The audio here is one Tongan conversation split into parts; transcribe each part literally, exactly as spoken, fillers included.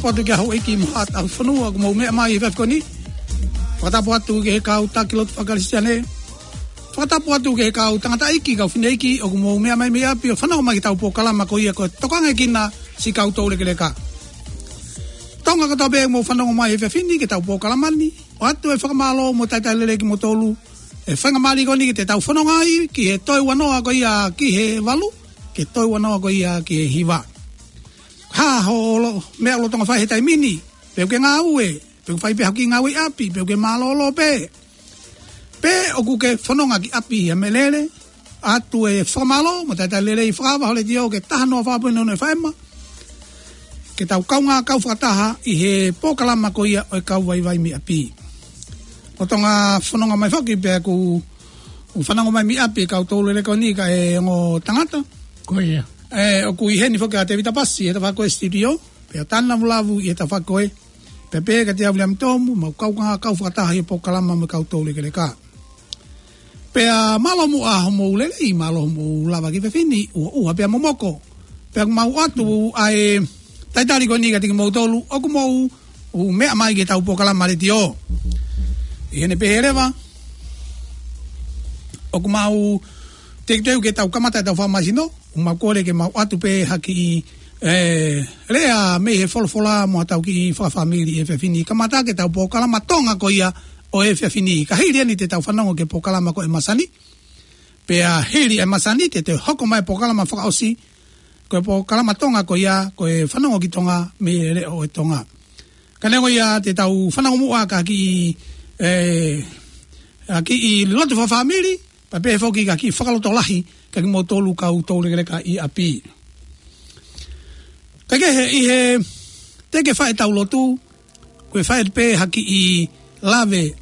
Fakatapu atu ki he houʻeiki mo haʻa tauhi fonua ʻoku mou meʻa mai he efiafi ko eni. Fakatapu atu ki he kau taki lotu fakakalisitiane. Fakatapu atu ki he kau tangataʻeiki, kau fineʻeiki ʻoku mou meʻa mai mei ʻapi ʻo fanongo mai ki heʻetau polokalama ko ia ko e Tokangaekina Siʻi Kau Toulekeleka. Tonga kotoa pē ʻoku mou fanongo mai he efiafi ni ki heʻetau polokalama ni, ʻoatu e fakamālō mo e talitali lelei kimoutolu he faingamālie ko eni ke tau fononga ai ki he toe ua noa ko ia ki he valu, ki he toe ua noa ko ia ki he hiva. Hā hoʻo meʻa ʻoku lolotonga fai he taimi ni? Pe ʻoku ke ngāue, pe ʻoku fai pē haʻo kiʻi ngāue ʻi ʻapi, pe ʻoku ke mālōlō pē, pe ʻoku ke fononga ki ʻapi ʻi ha meʻalele? ʻOatu e fakamālō mo e talitali lelei, fakavaha ho letiō ki he taha noa fā poini ono F M, ke tau kaungā kau fakataha ʻi he polokalama ko ia ʻo e Kau Vaivai mei ʻApi. Lolotonga fononga mai foki pea ʻoku fanongo mai mei ʻapi e kau toulekeleka ko eni, kae ongo tangata. Ko ia. ʻE, ʻoku ʻi heni foki ʻa Tevita Pasi he tafaʻaki ko ē studio, pea Tana Vulavu ʻi he tafaʻaki ko ē, pea pehē kia Viliami Tomu, mau kaungā kau fakataha ʻi he polokalama mo e kau toulekeleka. Pea mālō muʻa hoʻomou lelei, mālō hoʻomou lava ki he efiafi ni, ʻuha ʻuha pea momoko. Pea mau ʻoatu ʻa e talitali ko eni kiate kimoutolu ʻoku mou meʻa mai ki heʻetau polokalama letiō. ʻI heʻene pehē leva, ʻoku mau teuteu ke tau kamata ʻetau fakamaisino, ʻoku mau kole ke mau ʻoatu pē ha kiʻi, ʻe, lea mei he folofola mo ʻetau kiʻi fakafāmili he efiafi ni, kamata ki heʻetau polokalama Tonga ko ia ʻo e efiafi ni. Ka hili eni te tau fanongo ki he polokalama ko e masani. Pea hili e masani te te hoko mai polokalama fakaʻosi, ko e polokalama Tonga ko ia, ko e fanongo ki Tonga mei he leʻo ʻo e Tonga. Ka neongo ia te tau fanongo muʻa ki ha kiʻi, ʻe, ha kiʻi lotu fakafāmili, pea pehē foki ki ha kiʻi fakalotolahi kiate kimoutolu kau toulekeleka ʻi ʻapi. Kae kehe, ʻi he teʻeki ke fai ʻetau lotu, ʻoku ou fai pē ha kiʻi lave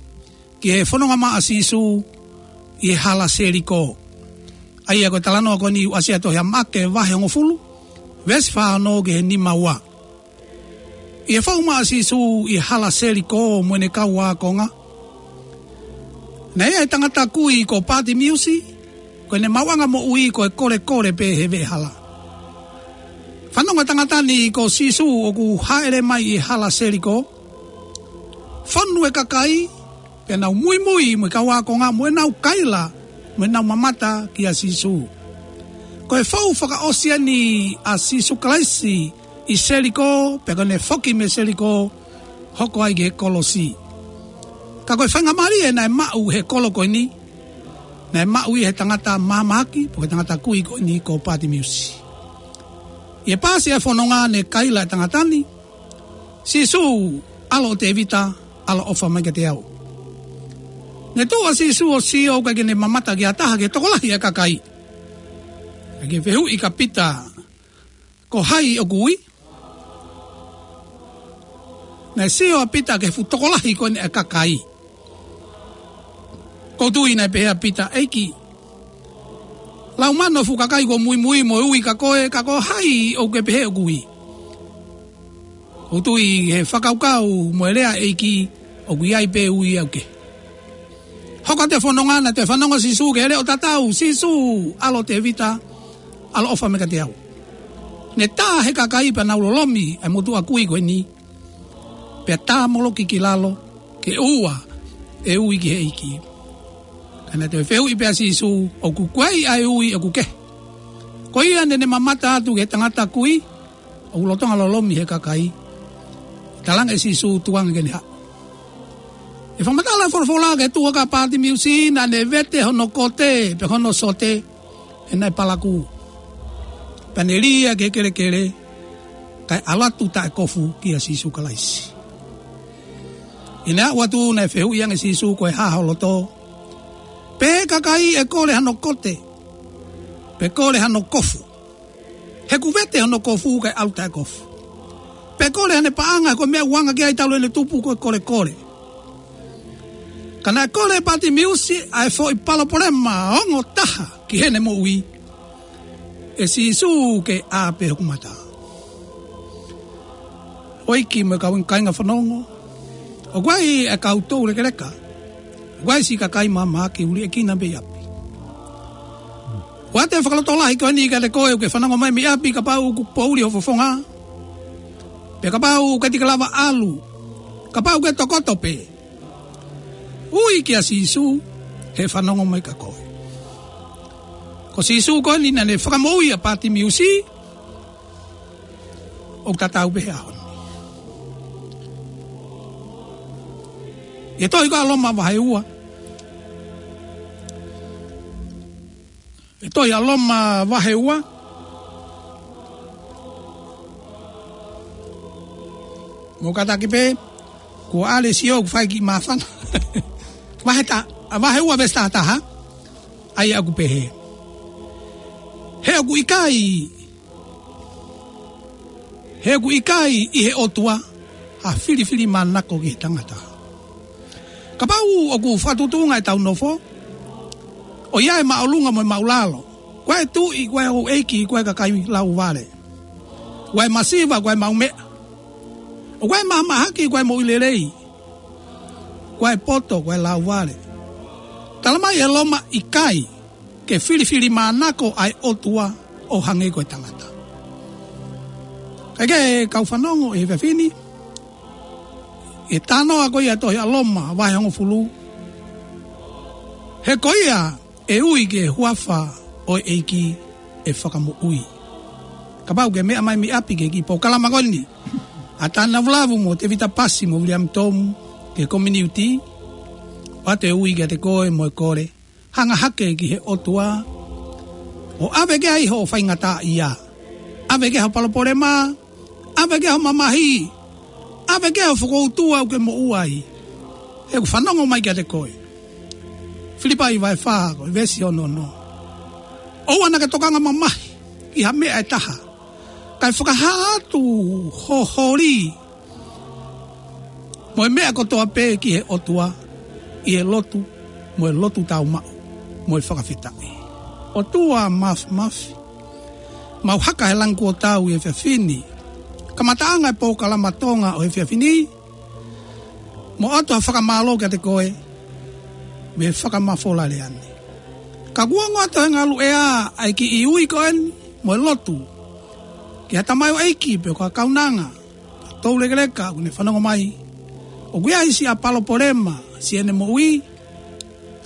ki he fononga mai ʻa Sīsū ʻi he hala Seliko. ʻA ia ko e talanoa ko eni ʻoku ʻasi ʻi he tohi ʻa Maʻake vahe hongofulu, veesi fā ono ki he nima ua. ʻI he fou mai ʻa Sīsū ʻi he hala Seliko mo ʻene kau ākonga, naʻe ʻi ai e tangata kui ko Pātimiusi, ko ʻene maʻuʻanga moʻui ko e kolekole pē he veʻehala. Fanongo e tangata ni ko Sīsū ʻoku hāʻele mai ʻi he hala Seliko, fonu e kakai, pea nau muimui mo e kau ākonga mo ʻenau kaila, mo ʻenau mamata kia Sīsū. Ko e fou fakaʻosi eni ʻa Sīsū Kalaisi ʻi Seliko, pea ko ʻene foki mei Seliko, hoko ai ki he kolosi. Ka ko e faingamālie naʻe maʻu he kolo ko eni, naʻe maʻu ia he tangata mahamahaki, pe ko e tangata kui ko eni ko Pātimiusi. ʻI he paasi e fononga naʻe kaila e tangata ni, "Sīsū, ʻAlo ʻo Tēvita, ʻaloʻofa mai kiate au." Naʻe tuʻu ʻa Sīsū ʻo sio ʻoku ʻikai ke ne mamata ki ha taha ki he tokolahi e kakai. Naʻe fehuʻi kia Pita, "Ko hai ʻoku ui?" Naʻe sio ʻa Pita ki he fuʻu tokolahi ko eni e kakai. ʻOku ou tui naʻe pehē ʻa Pita, "ʻEiki, lau mano e fuʻu kakai kuo muimui mo e ui kia koe, ka ko hai ʻoku ke pehē ʻoku ui?" ʻOku ou tui he fakakaukau mo e lea e ʻEiki, ʻoku ʻi ai pē ui ʻoku ke. Hoko atu e fononga, naʻe toe fanongo ʻa Sīsū ki he leʻo tatau, "Sīsū, ʻAlo ʻo Tēvita, ʻaloʻofa mai kiate au." Ne tā he kakai pea nau lolomi e motuʻa kui ko eni, pea tāmoloki ki lalo, ke ʻoua ʻe ui ki he ʻEiki. Ka naʻe toe fehuʻi pē ʻa Sīsū, "ʻOku ʻi ai ʻa e ui ʻoku ke?" Ko ia naʻa ne mamata atu ki he tangata kui ʻoku lolotonga lolomi he kakai, talaange ʻe Sīsū, "Tuku ange ke ne haʻu." ʻI he fakamatala e folofola ki he tuʻa ko Pātimiusi, naʻa ne vete hono kote, pe hono sote, he naʻe palakū. Pea ne lī ia ki he kelekele, kae ʻalu atu taʻekofu kia Sīsū Kalaisi. ʻI heʻene aʻu atu naʻe fehuʻi ange ʻe Sīsū, "Ko e hā ho loto?" Pehē e kakai, "ʻE kole hano kote, pe kole hano kofu. He kuo vete hono kofu kae ʻalu taʻekofu. Pe kole hano paʻanga, ko e meʻa ʻoku anga ki ai talu ʻene tupu ko e kolekole." Ka naʻe kole ʻe Pātimiusi ʻa e foʻi palopalema ongo taha ki heʻene moʻui, "ʻE Sīsū, ke ʻā pē hoku mata." ʻOku ʻi ai e kiʻi meʻa, kau kāinga fanongo, ʻoku ʻi ai e kau toulekeleka, ʻoku ʻi ai e siʻi kakai mahamahaki ʻoku liʻekina mei ʻapi. ʻOatu e fakalotolahi ko eni kiate koe ʻoku ke fanongo mai mei ʻapi, kapau ʻoku poʻuli ho fofonga, Pea kapau ʻoku ʻikai te ke lava ʻalu, kapau ʻoku ke tokoto pē, ui kia Sīsū, he fanongo mai kia koe. Ko Sīsū ko eni naʻa ne fakamoʻui ʻa Pātimiusi, ʻoku tatau pē he ʻaho ni. ʻI he tohi ko ia ʻa Loma vahe ua. ʻI he tohi ʻa Loma vahe ua. Mou kātaki pē, kuo ʻalu e sio ʻoku fai kiʻi māfana. Vahe ta-, ʻa vahe ua veesi taha taha. ʻA ia ʻoku pehē: He ʻoku ʻikai, he ʻoku ʻikai ʻi he ʻOtua ha filifilimānako ki he tangata. Kapau ʻoku fakatuʻutuʻunga ʻetau nofo, ʻoku ʻi ai e māʻolunga mo e māʻulalo, ko e tuʻi, ko e houʻeiki, ko e kakai lauvale, ko e masiva, ko e maʻumeʻa, ko e mahamahaki, ko e moʻui lelei, ko e poto, ko e lauvale. Tala mai ʻe Loma ʻikai ke filifilimānako ʻa e ʻOtua ʻo hangē ko e tangata. Kae kehe, kau fanongo ʻi he efiafi ni, ʻi he talanoa ko ia ʻa e tohi ʻa Loma vahe hongofulu. He ko ia ʻe ui ki he huafa ʻo e ʻEiki ʻe fakamoʻui. Kapau ʻoku ke meʻa mai mei ʻapi ki he kiʻi polokalama ko eni, ʻa Tānavulavu mo Tēvita Pasi mo Viliami Tomu ki he kominiuti, ʻoatu e ui kiate koe mo e kole: Hanga hake ki he ʻOtua, ʻo ʻave ki ai hoʻo faingataʻaʻia, ʻave ki ai hoʻo palopalema, ʻave ki ai hoʻo mamahi, ʻave ki ai hoʻo fokoutua ʻoku ke moʻua ai. He ʻoku fanongo mai kiate koe. Filipai vahe fā, ko e veesi ono ono: ʻOua naʻa ke tokanga mamahi ki ha meʻa ʻe taha, kae fakahā atu ho holi mo e meʻa kotoa pē ki he ʻOtua ʻi he lotu, mo e lotu tāumaʻu, mo e fakafetaʻi. ʻOtua Māfimafi, mau haka he langi kuo tau ʻi he efiafi ni, kamataʻanga e polokalama Tonga ʻo e efiafi ni, mo ʻoatu ha fakamālō kiate koe mei he fakamafola lea ni. Ka kuo ongo atu he ngaluʻea ʻa e kiʻi ui ko eni mo e lotu ki ha tamaioʻeiki pe ko ha kaunanga toulekeleka ʻoku ne fanongo mai, ʻoku ʻi ai siʻa palopalema siʻene moʻui,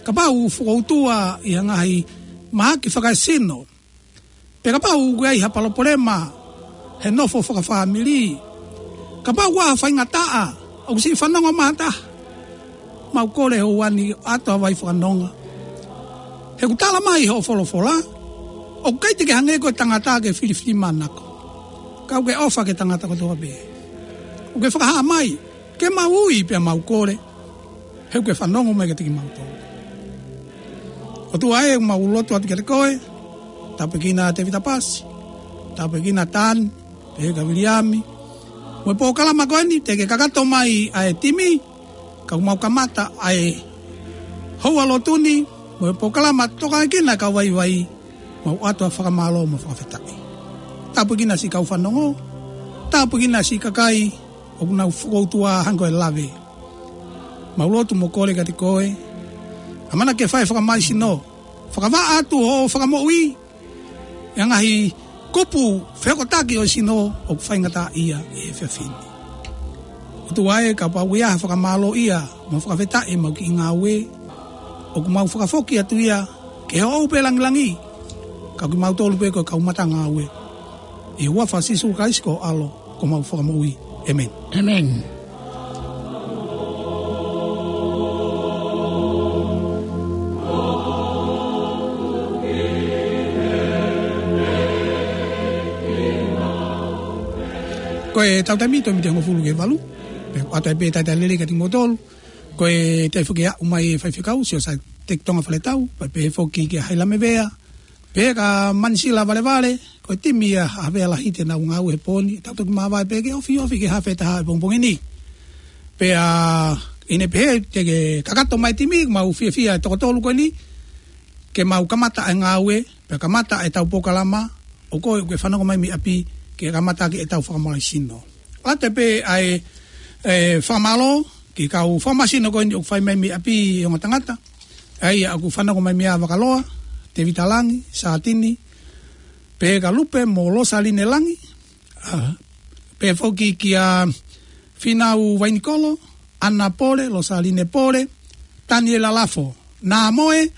kapau ʻoku fokoutua ʻi ha ngaahi mahaki fakaesino, pe kapau ʻoku ʻi ai ha palopalema he nofo fakafāmili, kapau ʻoku ʻi ai ha faingataʻa ʻoku siʻi fanongo mai ha taha, mau kole hoʻo ʻoatu ha vai fakanonga. He ʻoku tala mai hoʻo folofola, ʻoku ʻikai te ke hangē ko e tangata ke filifilimānako, ka ʻoku ke ʻofa ki he tangata kotoa pē. ʻOku ke fakahā mai ke mau ui pea mau kole, he ʻoku ke fanongo mai kiate kimautolu. ʻOtua ē, mau lotu atu kiate koe, tāpuekina Tēvita Pasi, tāpuekina Tani, pehē kia Viliami, mo e polokalama ko eni, teʻeki ke kakato mai ʻa e timi, ka ʻoku mau kamata ʻa e houa lotu ni mo e polokalama, tokaʻi kinaua e kau vaivai, mau ʻoatu ʻa e fakamālō mo e fakafetaʻi. Tāpuekina siʻi kau fanongo, tāpuekina siʻi kakai ʻoku nau fokoutua hangē ko e lave. Mau lotu mo kole kiate koe, ʻamanaki ke fai e fakamālohisino, fakavaʻa atu hoʻo fakamoʻui ʻi he ngaahi kupu fehokotaki ʻo e sino ʻoku faingataʻaʻia ʻi he efiafi ni. ʻOtua ē, kapau ʻoku ʻi ai ha fakamālōʻia mo e fakafetaʻi ʻemau kiʻi ngāue, ʻoku mau fakafoki atu ia ki he ʻoʻou pē langilangi, ka ko kimautolu pē ko e kau matangāue. ʻI he huafa ʻo Sīsū Kalaisi ko ho ʻAlo, ko homau Fakamoʻui. ʻĒmeni. ʻĒmeni. Ko ʻetau taimi, toe miniti hongofulu ki he valu. Pea ʻoatu ai pē e talitali lelei kiate kimoutolu. Ko e taimi foki ʻe aʻu mai e faifekau, Siosiua Teki Tonga Faletau, pea pehē foki kia Haila Mevea, pehē kia Manisila Valevale, ko e timi ia ʻa Havea Lahi te nau ngāue he pō ni, tau toki māvae pē ke ofiofi ki he hafe taha e pongipongi ni. Pea ʻi heʻene pehē te ke kakato mai e timi, mau fiefia e toko tolu ko eni, ke mau kamata e ngāue, pea kamata ʻetau polokalama, ʻo koe ʻoku ke fanongo mai mei ʻapi, ke kamata ʻaki ʻetau fakamālohisino. ʻOatu pē ʻa e, e, fakamālō ki he kau fakamālohisino ko eni ʻoku fai mai mei ʻapi, e ongo tangata. ʻA ia ʻoku fanongo mai mei Vakaloa, Tēvita Langi, Sātini, pehē kia Lupe mo Losaline Langi, ʻa, Pea foki kia Finau Vainikolo, Ana Pole, Losaline Pole, Taniela Lafo, Namoe,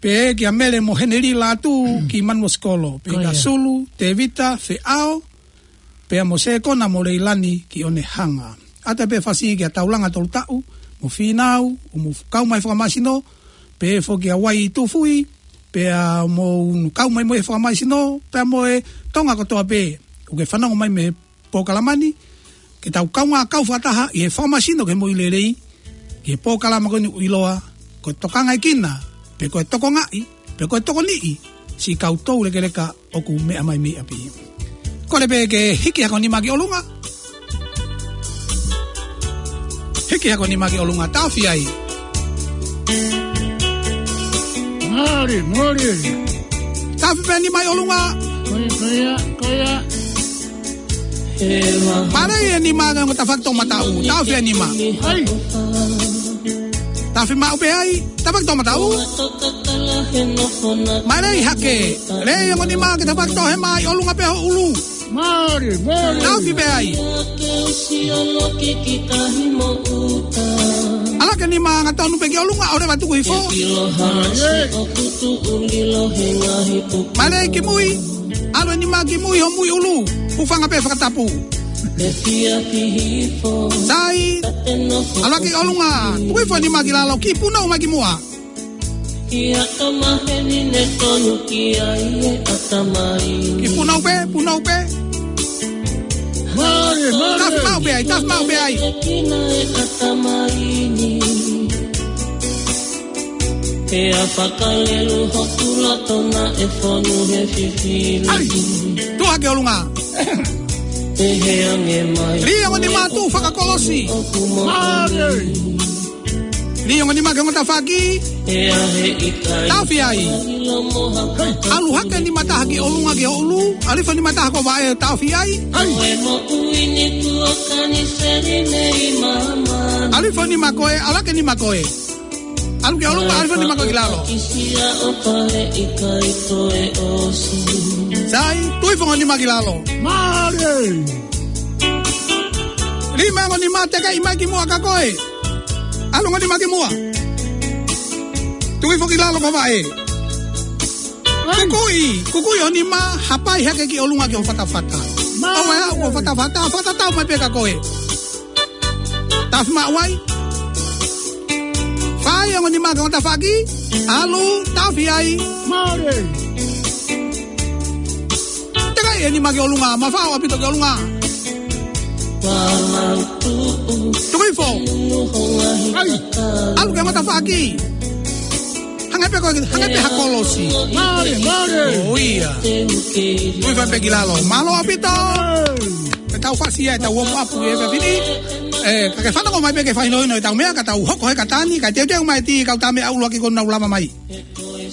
pea kia Mele mo Heneli Latu ki Manumosikolo, pea kia Sulu, Tevita, Feʻao, pea mo Sekona mo Leilani ki Onehanga. ʻAta pē fasi kia Taulanga Tolutaʻu, mo Finau, ʻoku mou kau mai fakamasino, pea foki kia Wai Tufui, pea mou kau mai mo e fakamasino, pea mo e Tonga kotoa pē, ʻoku ke fanongo mai mei he polokalama ni, ke tau kaungā kau fakataha ʻi he fakamasino ki he moʻui lelei, ki he polokalama ko eni ʻoku ʻiloa ko e tokangaekina, pe ko e tokongaʻi, pe ko e tokoniʻi, siʻi kau toulekeleka ʻoku meʻa mai mei ʻapi. Kole pē ke hiki hako nima ki ʻolunga. Hiki hako nima ki ʻolunga, taʻofi ai. Mole, mole. Taʻofi pē nima ʻi ʻolunga. Ko ia, ko ia, ko ia. Mālei e nima ki he ongo tafaʻaki toʻomataʻu. Taʻofi e nima. ʻAi. Taʻofi maʻu pē ai. Tafaʻaki toʻomataʻu. Mālei hake. Lei ongo nima ki he tafaʻaki toʻohema ʻi ʻolunga pē ho ʻulu. Mālei, mālei. Taʻofi pē ai. ʻAlu hake nima angatonu pē ki ʻolunga, ʻo leva tuku hifo. Mālei. Mālei ki mui. ʻAlu e nima ki mui ho mui ʻulu. Hūfanga pē fakatapu. Sai. ʻAlu hake ʻolunga. Tuku hifo nima ki lalo, kiʻi punou mai ki muʻa. Kiʻi punou pē, punou pē. Mālei, mālei. Taʻofi maʻu pē ai, taʻofi maʻu pē ai. ʻAi, tuʻu hake ʻolunga. Lī ongo nima, tuʻu fakakolosi. Mālei. Lī ongo nima ki he ongo tafaʻaki. Taʻofi ai. ʻAlu hake nima taha ki ʻolunga ki ho ʻulu. ʻAlu hifo nima taha ki ho vaʻe, taʻofi ai. ʻAlu hifo nima ko ē, ʻalu hake nima ko ē. ʻAlu ki ʻolunga, ʻalu hifo nima ko ē ki lalo. Sai, tuʻu hifo ongo nima ki lalo. Mālei. Lima ongo nima, tekeʻi mai ki muʻa ka ko ē. ʻAlu ongo nima ki muʻa. Tuʻu hifo ki lalo ki ho vaʻe. Kukuʻi, kukuʻi ho nima, hapai hake ki ʻolunga ki ho fatafata. Mālei. ʻOua ʻe aʻu ki ho fatafata, fakatatau mai pē ka ko ē. Taʻofi maʻu ai. Fā ongo nima ki he ongo tafaʻaki. ʻAlu, taʻofi ai. Mālei. Tekeʻi e nima ki ʻolunga, mafao ʻaupito ki ʻolunga. Tuku hifo. ʻAi. ʻAlu ki he ongo tafaʻaki. Hangē pē ko, hangē pē ha kolosi. Mālei, mālei. ʻOi ia. Tuʻu hifo pē ki lalo. Mālō ʻaupito. Ke tau fasi ia ʻetau warm up ʻi he efiafi ni. ʻE, ka ke fanongo mai pē ke fakahinohino ʻetau meʻa, ka tau hoko he kata ni, ka teuteu mai e tī, kau tā meʻa ʻuluaki kuo nau lava mai.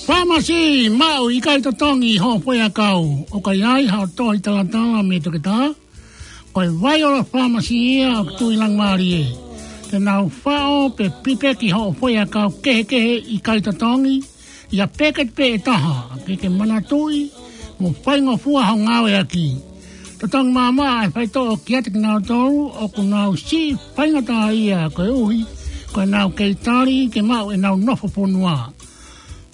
Fāmasi maʻu ʻikai totongi hoʻo foʻiʻakau. ʻOku ʻi ai haʻo tohi talatala mei he toketā. Ko e Vaiola Fāmasi ia ʻoku tuʻu ʻi Langimalie. Te nau faʻo pe pipeki hoʻo foʻiʻakau kehekehe ʻikai totongi, ʻi ha peketi pē ʻe taha, ke ke manatuʻi mo faingofua hoʻo ngāueʻaki. Totongi maʻamaʻa e faitoʻo kiate kinautolu ʻoku nau siʻi faingataʻaʻia koeʻuhi ko ʻenau kei tali ke maʻu ʻenau nofo fonua.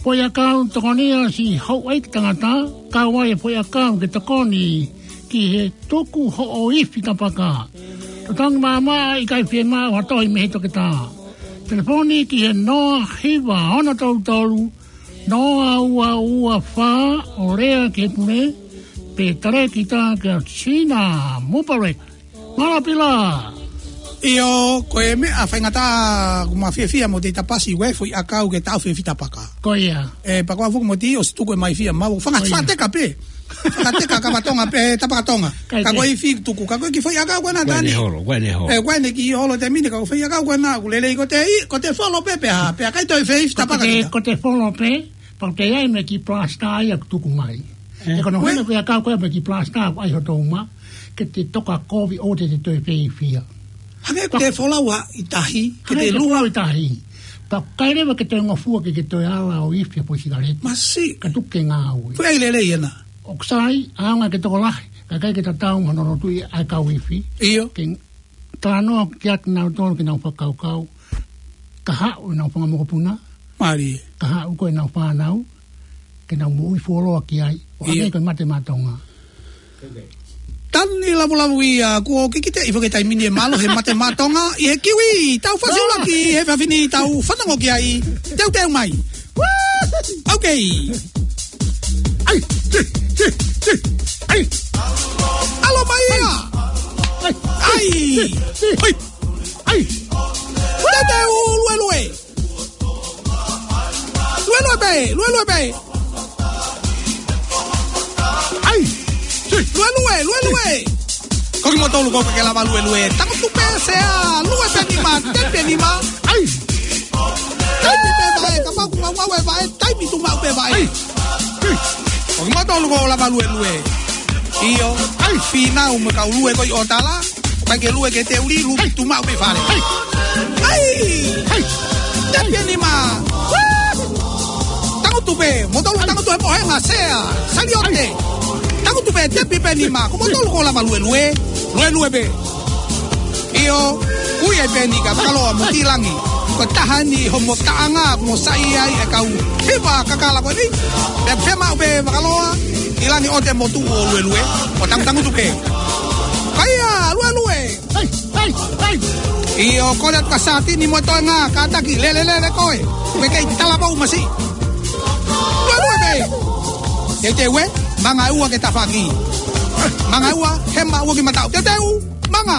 Foʻiʻakau tokonia siʻi houʻeiki tangata, kau ai e foʻiʻakau ke tokoni ki he tuku hoʻo ifi tapaka. Totongi maʻamaʻa, ʻikai fiemaʻu ha tohi mei he toketā. Telefoni ki he noa hiva ono tolu tolu, noa ua ua fā, ʻo lea ki he pule, pe talēkita kia Sina Mupalek. Mālō Pila. ʻIo, ko e meʻa faingataʻa, ʻoku ma fiefia mo te tapasi, ʻoku ʻi ai e foʻiʻakau ke taʻofi e ifi tapaka. Ko ia. ʻE, pea ko au foki mo te ʻosi tuku e mai fia mau. Fanga-, ko ia. Fakateka pē. Fakateka kava Tonga pē, tapaka Tonga. Ka ko e ifi tuku, ka ko e kiʻi foʻiʻakau ko ena. Ko ʻene holo, ko ʻene holo. ʻE, ko ʻene kiʻi holo te mine, ka ko e foʻiʻakau ko ena, ʻoku lelei ko te i, ko te folo pē pea, pea ʻikai toe fie ifi tapaka kita. Ko te folo pē, pau te ai me ki plasta ai ʻoku tuku mai. ʻE? ʻE ko hono hina foʻiʻakau ko e me ki plasta ai hoto uma, ke te toka kovi ʻo te te toe fie ifi. Hangē ko te folau ʻi tahi, ke te lua. Hangē ko te folau ʻi tahi. Pea ʻikai leva ke toe ngofua ke, ke toe ala ʻo ifi ha foʻi sikaleti. Masiʻi. Ka tuku ke ngāue. Foʻi ʻai lelei ena. ʻOku sai, ʻaonga ke tokolahi. Kae ʻikai ke tatau mo hono lotuʻi ʻa e kau ifi. ʻIo. Ke talanoa kiate kinautolu ke nau fakakaukau. Ka haʻu ʻenau fanga mokopuna. Mālie. Ka haʻu ko ʻenau fānau. Ke nau moʻui fuoloa ki ai. ʻO ʻIo. Hangē ko e Mate Maʻa Tonga. Tanu ni lavulavu ia, kuo kikite ʻi he foʻi taimi ni ʻe mālohi e Mate Maʻa Tonga, ʻi he kiwi, tau fasi ʻuluaki, ʻi he efiafi ni tau fanongo ki ai, teuteu mai. Ok. ʻAi, ti, ti, ti, ʻai. ʻAlo mai ia. ʻAi. ʻAi. Teuteu luelue. Luelue pē, luelue pē. ʻAi. Luelue, luelue. Ko kimoutolu ʻoku ke lava luelue. Tangutu pē sea, lue pē nima, tepi e nima. ʻAi. Taimi pē vaʻe, kapau ʻoku ngau e vaʻe, taimi tuʻu maʻu pē vaʻe. ʻAi. Ko kimoutolu ʻoku lava luelue. ʻIo. ʻAi. Fīnau mo e kau lue ko ē ʻo tala. Pea ke lue ke te uli, lue tuʻu maʻu pē fale. ʻAi. ʻAi. Tepi e nima. Tangutu pē, moutolu tangutu he pohenga, sea, saliote. Tangutu pē, tepi pē nima, ko moutolu ʻoku lava luelue. Luelue pē. ʻIo, ui ai pē ni ka Vakaloa mo Tilangi. Ko e taha ni homo taʻanga, mo saiʻia ai e kau hiva kakala ko eni. Pea fiemaʻu pē Vakaloa, Tilangi ʻo te motu ʻo luelue. ʻO tangutangutu pē. Kaia, luelue. ʻAi, ʻai, ʻai. ʻIo, kole atu kia Satini mo e toenga, kātaki, lele, lele koe. Mei he kei talavou masiʻi. Luelue pē. Teuteu ē, manga ua ke tafaʻaki. Manga ua, hema ua ki mataʻu. Teuteu, manga.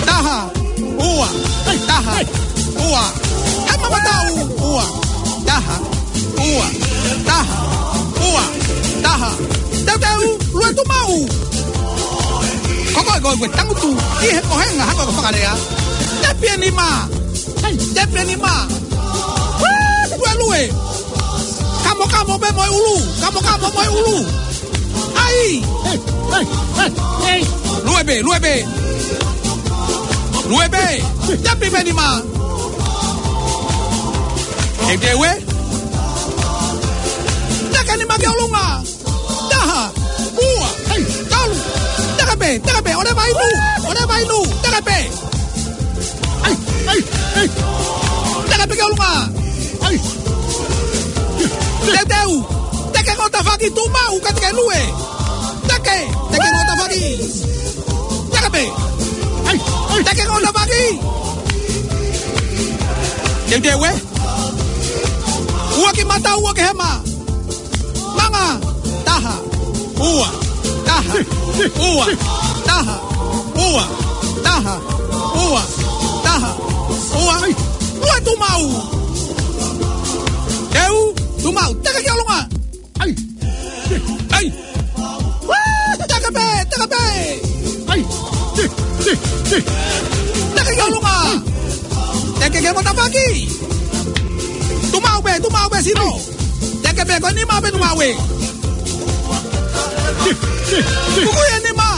Taha, ua, taha, ua. Hema mataʻu, ua, taha. Ua, taha, ua, taha. Teuteu, lue tuʻu maʻu. Ko koe, ko koe, tangutu, ʻi he pohenga, hako ko fakalea. Tepi e nima. ʻAi, tepi e nima. Luelue. Kamokamo pē mo e ʻulu, kamokamo mo e ʻulu. ʻAi. ʻAi, ʻai, ʻai, ʻai. Lue pē, lue pē. Lue pē. Tepi pē nima. Teuteu ē. Teke nima ki ʻolunga. Taha. Ua. ʻAi. Tolu. Teke pē, teke pē. ʻOua ʻe vainu. ʻOua ʻe vainu. Teke pē. ʻAi, ʻai, ʻai. Teke pē ki ʻolunga. ʻAi. Teuteu. Teke ko e tafaʻaki tuʻu maʻu ka teke lue. Teke. Teke ko e tafaʻaki. Teke pē. ʻAi, ʻai. Teke ko e tafaʻaki. Teuteu ē. Ua ki mataʻu, ua ki hema. Manga. Taha. Ua. Taha. Ua. Taha. Ua. Taha. Ua. Taha. Ua. Lue tuʻu maʻu. Teu. Tuʻu maʻu. Teke ki ʻolunga. ʻAi. ʻAi. Teke pē, teke pē. ʻAi. Teke ki ʻolunga. Teke ki he matapaki. Tuʻu maʻu pē, tuʻu maʻu pē sino. Teke pē ko e nima pē tuʻu maʻu ē. Kuku e nima.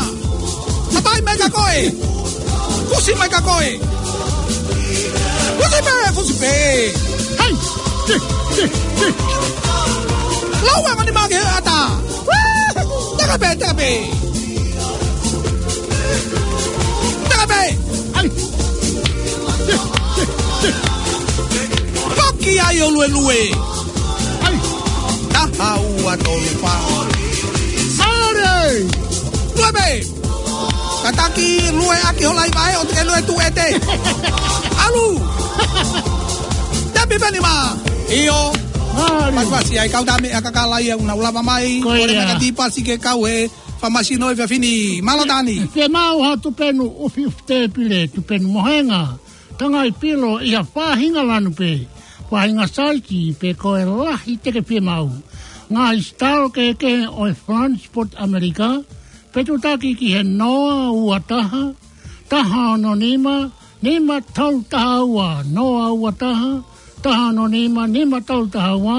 Hapai mai ka koe. Fusi mai ka koe. Fusi pē, fusi pē. ʻAi. Lau anga ni make ata. Teke pē, teke pē. Teke pē. ʻAi. Paki ai ʻo luelue. ʻAi. Taha ua tolu fā. Mālie. Lue pē. Kātaki lue ʻaki hola i vae ʻo te ke lue tuʻu ʻete. ʻAlu. Tepi pē nima. ʻIo. Mālie. Pasipasi ai kau tame a kakala ia una ulava mai. Ko ia. Kole mai ka tipasi ke kau he fāmasi ʻo e efiafi ni. Mālō Tani. Fiemaʻu ha tupenu ʻufiʻufi tēpile, tupenu mohenga. Tangai pilo ʻi ha faʻahinga lanu pē, faʻahinga saisi pe ko e lahi te ke fiemaʻu. Ngaahi sitalo kehekehe ʻo e French Port ʻAmelika, pe tutaki ki he noa ua taha, taha ono nima, nima tolu taha ua, noa ua taha, taha ono nima, nima tolu taha ua,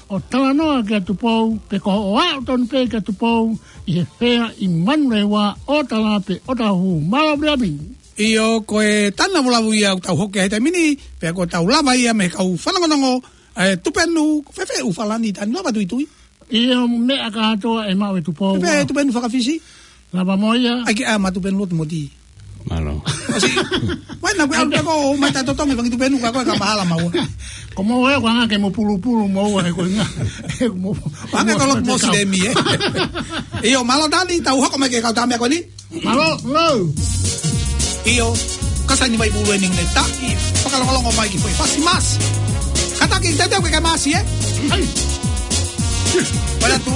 ʻo talanoa kia Tupou, pe ko hoʻo aʻu tonu pē kia Tupou, ʻi he Fea ʻi Manurewa, ʻo tala pe ʻo tahu. Mālō Viliami. ʻIo, ko e tanu lavulavu ia ʻoku tau hoko ai he taimi ni, pea ko ʻetau lava ia mei he kau fanongonongo, ʻa e tupenu, fēfē ʻoku falani tanu lava tuitui. ʻIo, meʻa kātoa ʻe maʻu ʻe Tupou. Pea ʻe Tupenu fakafisi. Lava mo ia. ʻAi ke ʻai ʻa Tupenu lotu moti. Mālō. ʻOsi. Vai na kuo ʻalu pē ko ē ʻo mai taʻetotongi fanga Tupenu ka ko e ka mahala maua. Ko mo e ko anga ke mo pulupulu mo ua he ko e nga. He mo. Anga ko e lotu Mosilemi, ē. ʻIo, mālō Tani, tau hoko mai ki he kau tama ko eni. Mālō, lou. ʻIo, ka sai ni mai pulu eni ne taki, fakalongolongo mai ki he foʻi fasi masi. Kātaki, teuteu ke ke masi, ē? ʻAi. Pea tu,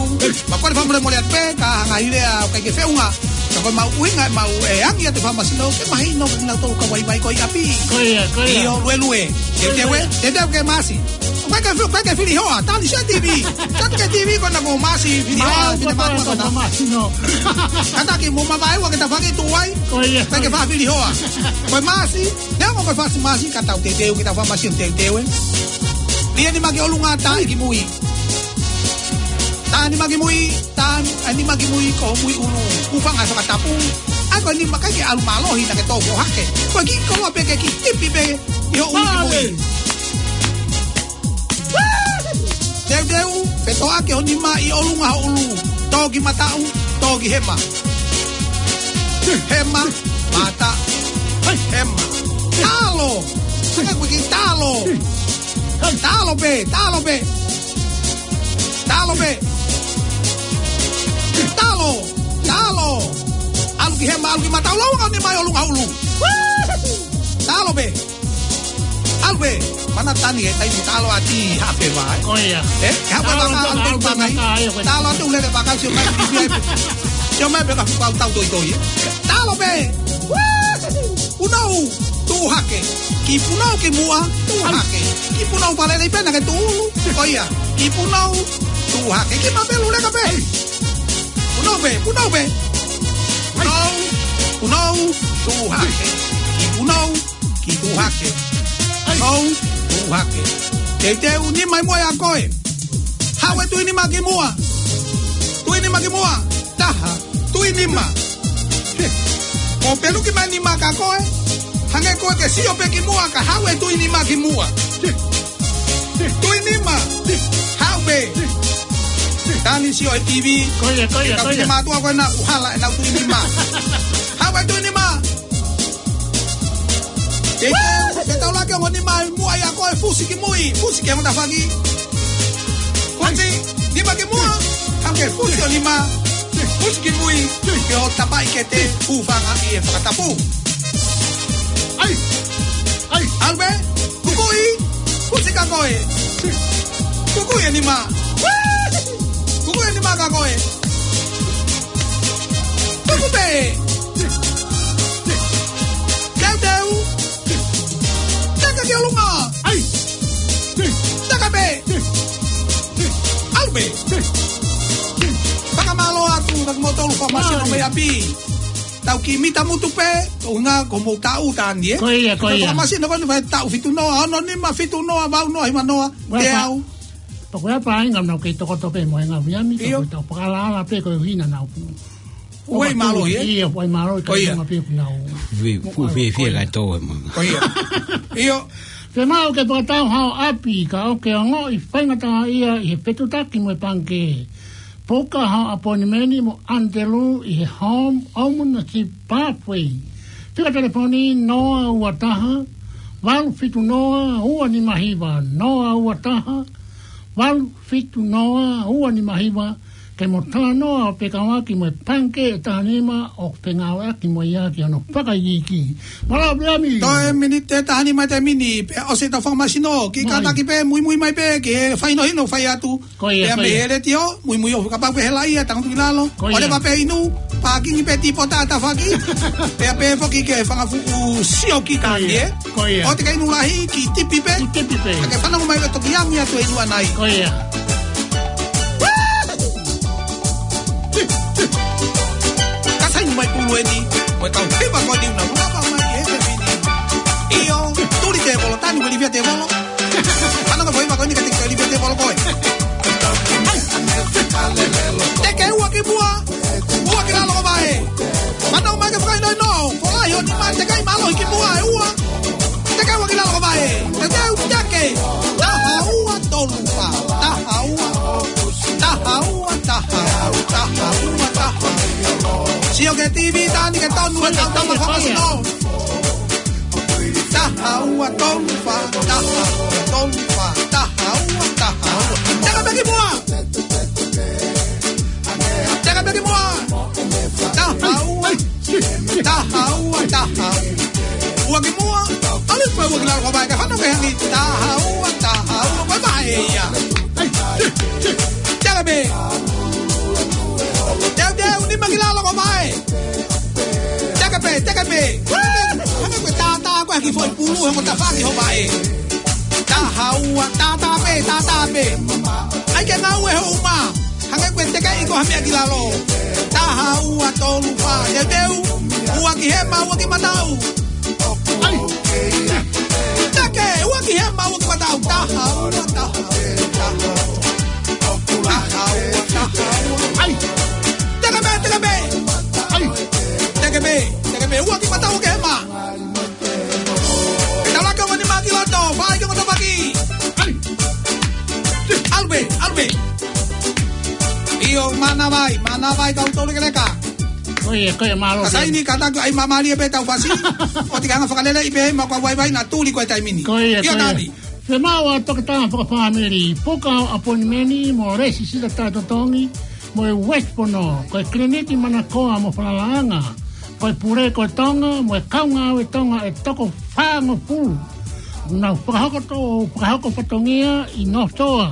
ma kole fakamolemole atu pē, ka hanga ʻi he lea ʻoku ʻikai ke feʻunga. Ka ko e maʻu ʻuhinga, maʻu e angi atu e fakamasino, ke mahino, ke nau tolu ka vaivai ko ē ʻi ʻapi. Ko ia, ko ia. ʻIo, luelue. Teuteu ē, teuteu ke masi. ʻOku ʻikai ke fi-, ʻikai ke fili hoa, tali sia T V. Tali ke T V ko ena ko masi, fili hoa, fili mālō, mālō, ko ena. Mālō, mālō. Kātaki mo mavaeua ke ta faki tu ai. Ko ia. Pea ke fafili hoa. Ko e masi, neongo ko e fasi masi, ka tau teuteu ke ta fa masi ʻo teuteu ē. Lia nima ki ʻolunga, taʻi ki mui. Taʻi nima ki mui, taʻi nima ki mui, ko mui ʻulu. Hūfanga he fakatapu. ʻAi ko e nima ʻikai ke ʻalu mālohi naʻa ke tō foʻohake. Ko e kiʻi koloa pē ke kiʻi tipi pē ʻi hoʻo ʻulu ki mui. Teuteu, fetoʻaki ho nima ʻi ʻolunga ho ʻulu. Tō ki mataʻu, tō ki hema. Hema, mata, hema. Talo. Saka kui ki talo. Talo pē, talo pē. Talo pē. Talo, talo. ʻAlu ki hema, ʻalu ki mataʻu, lau ka ho nima ʻi ʻolunga ho ʻulu. Talo pē. ʻAlu pē, mana Tani he taimi talo ʻa e haʻape vai. Ko ia. Ē, haʻape vai ka ʻalu pē ʻalu pē ʻalu pē ʻalu pē. Talo atu lele pē ka sio mai ki ai pē. Sio mai pē ka fuka tau toitoi, ē. Talo pē. Punou, tuʻu hake. Kiʻi punou ki muʻa, tuʻu hake. Kiʻi punou palele pē naʻa ke tuʻu ʻulu. Ko ia. Kiʻi punou, tuʻu hake. Kiʻi mapelu leka pē. Punou pē, punou pē. Punou, punou, tuʻu hake. Kiʻi punou, kiʻi tuʻu hake. Punou, tuʻu hake. Teuteu nima ʻi muʻa ʻia koe. Haʻu e tui nima ki muʻa. Tui nima ki muʻa. Taha, tui nima. Ko e peluki mai nima kia koe. Hangē ko e ke sio pē ki muʻa ka haʻu e tui nima ki muʻa. Tui nima. Haʻu pē. Tani sio he T V. Ko ia, ko ia, ko ia. Ka fine mātuʻa ko ena ʻoku hala ʻenau tui nima. Haʻu e tui nima. Ke, ke taulaki ho nima ʻi muʻa ʻia koe, fusi ki mui, fusi ki he tafaʻaki. Fusi, nima ki muʻa, hangē fusi ho nima, fusi ki mui, ke ʻo tapaʻi ke te hūfanga ʻi he fakatapu. ʻAi, ʻai. ʻAlu pē, kukuʻi, fusi kia koe. Kukuʻi e nima. Kukuʻi e nima kia koe. Tuku pē. Teuteu. Teke ki ʻolunga. ʻAi. Teke pē. ʻAlu pē. Fakamālō atu, ka kimoutolu fakamasino mei ʻapi. Tau kiʻi mita mutu pē, ʻuhinga ko hoʻomou taʻu Tani, ē? Ko ia, ko ia. Fakamasino ko eni fai taʻu fitu noa, ono nima, fitu noa, valu noa, hiva noa, teau. Pea ko e hā e paʻanga naʻa ke tokoto pē mo e ngaahi ʻahiʻahi, ʻio, ka ko e tau pakalala pē ko e hina naʻa ku. Ua ʻi mālohi, ē? ʻIo, ua ʻi mālohi, ka ko ia. Ngaahi pē ku nau. Fie, fie, fie ka tō e manga. Ko ia. ʻIo. Fiemaʻu ke fakatau hao ʻapi, ka ʻoku ke ongoʻi faingataʻaʻia ʻi he fetutaki mo e pangikē. Puka hao ʻapoinimeni mo ʻAnitelū ʻi he Home Ownership Pathway. Fika telefoni noa ua taha, valu fitu noa, ua nima hiva, noa ua taha, valu fitu noa, ua nima hiva, ke mo talanoa ʻo fekauʻaki mo e pangikē ʻe taha nima ʻoku ke ngāueʻaki mo ia ki hono fakaikiiki. Mālō, Piami. Toe miniti ʻe taha nima te mini, pea ʻosi ʻetau fakamasino, kiʻi kātaki pē, muimui mai pē, ke fai hino hino fai atu. Ko ia, pea ko mei ia. He letiō, muimui ʻo kapau ke hela ia, tangutu ki lalo. Ko ia. ʻOleva pē inu, pākingi pē tipota tafaʻaki. Pea pē foki ke fanga fuʻu sio ki Tani, ē. Ko ia. ʻOua te ke inu lahi, kiʻi tipi pē. Kiʻi tipi pē. Ka ke fanongo mai ʻo toki angi atu e inu ʻanai. Ko ia. Ka sai ni mai pulu eni, mo e kau hiva ko eni ʻoku nau lava mai he pēpē ni. ʻIo, tuli tēvolo, Tani, mo e livia tēvolo. Ana ka foʻi mako ni ka te ke livia tēvolo ko ē. Teke ua ki muʻa, ua ki lalo ko vae. Mana mai ke fakaino ino, ko ai ho nima, teke ʻi mālohi ki muʻa ʻe ua. Teke ua ki lalo ko vae. Teke u teke. Taha ua tolu fā. Taha ua. Taha ʻIo, ki he T V, Tani, ke tonu e kau tama fakasino. Taha ua tolu fā, taha ua tolu fā, taha ua, taha ua. Teka pē ki muʻa. Teka pē ki muʻa. Taha ua, taha ua, taha ua. Ua ki muʻa. ʻAlu pē ua ki lalo ko e vaʻe, kae fanongo ki he hangi. Taha ua, taha ua, ko e vaʻe ia. Teka pē. Teuteu, nima ki lalo ko e vaʻe. Teka pē, teka pē. Hanga ko e tātā ko e haki foʻi pulu, he ko e tafaʻaki ho vaʻe. Taha ua, tātā pē, tātā pē. ʻAi ke ngāue ho uma. Hanga ko e teka ʻi ko ha meʻa ki lalo. Taha ua tolu fā, teuteu. Ua ki hema, ua ki mataʻu. ʻAi. Teke, ua ki hema, ua ki mataʻu. Taha ua, taha ua, taha ua. Taha ua, taha ua. ʻAi. Teka pē, teka pē. ʻAi. Teka pē, teka pē. Ua ki mataʻu, ua ki hema. Ke talake ongo nima ki loto, fai ki ongo topaki. ʻAlu pē, ʻalu pē. ʻIo, mānava ai, mānava ai kau tolu ke leka. Ko ia, ko ia, mālō. Ka saini, ka taku ai mamalie pē tau fasi. ʻOua te ke hanga fakalelei pē, ma kua vaivai na tuli ko e taimi ni. Ko ia, ʻio, ko ia. Tani. Fiemaʻu ʻa e toketā fakafāmili, puka ʻo appointment mo lēsisita totongi, mo e West Pono, ko e kiliniki manakoa mo falalaʻanga, ko e pule ko e Tonga, mo e kau ngāue Tonga ʻe toko fāngofulu. Nau fakahoko to-, fakahoko fatongia ʻi North Shore,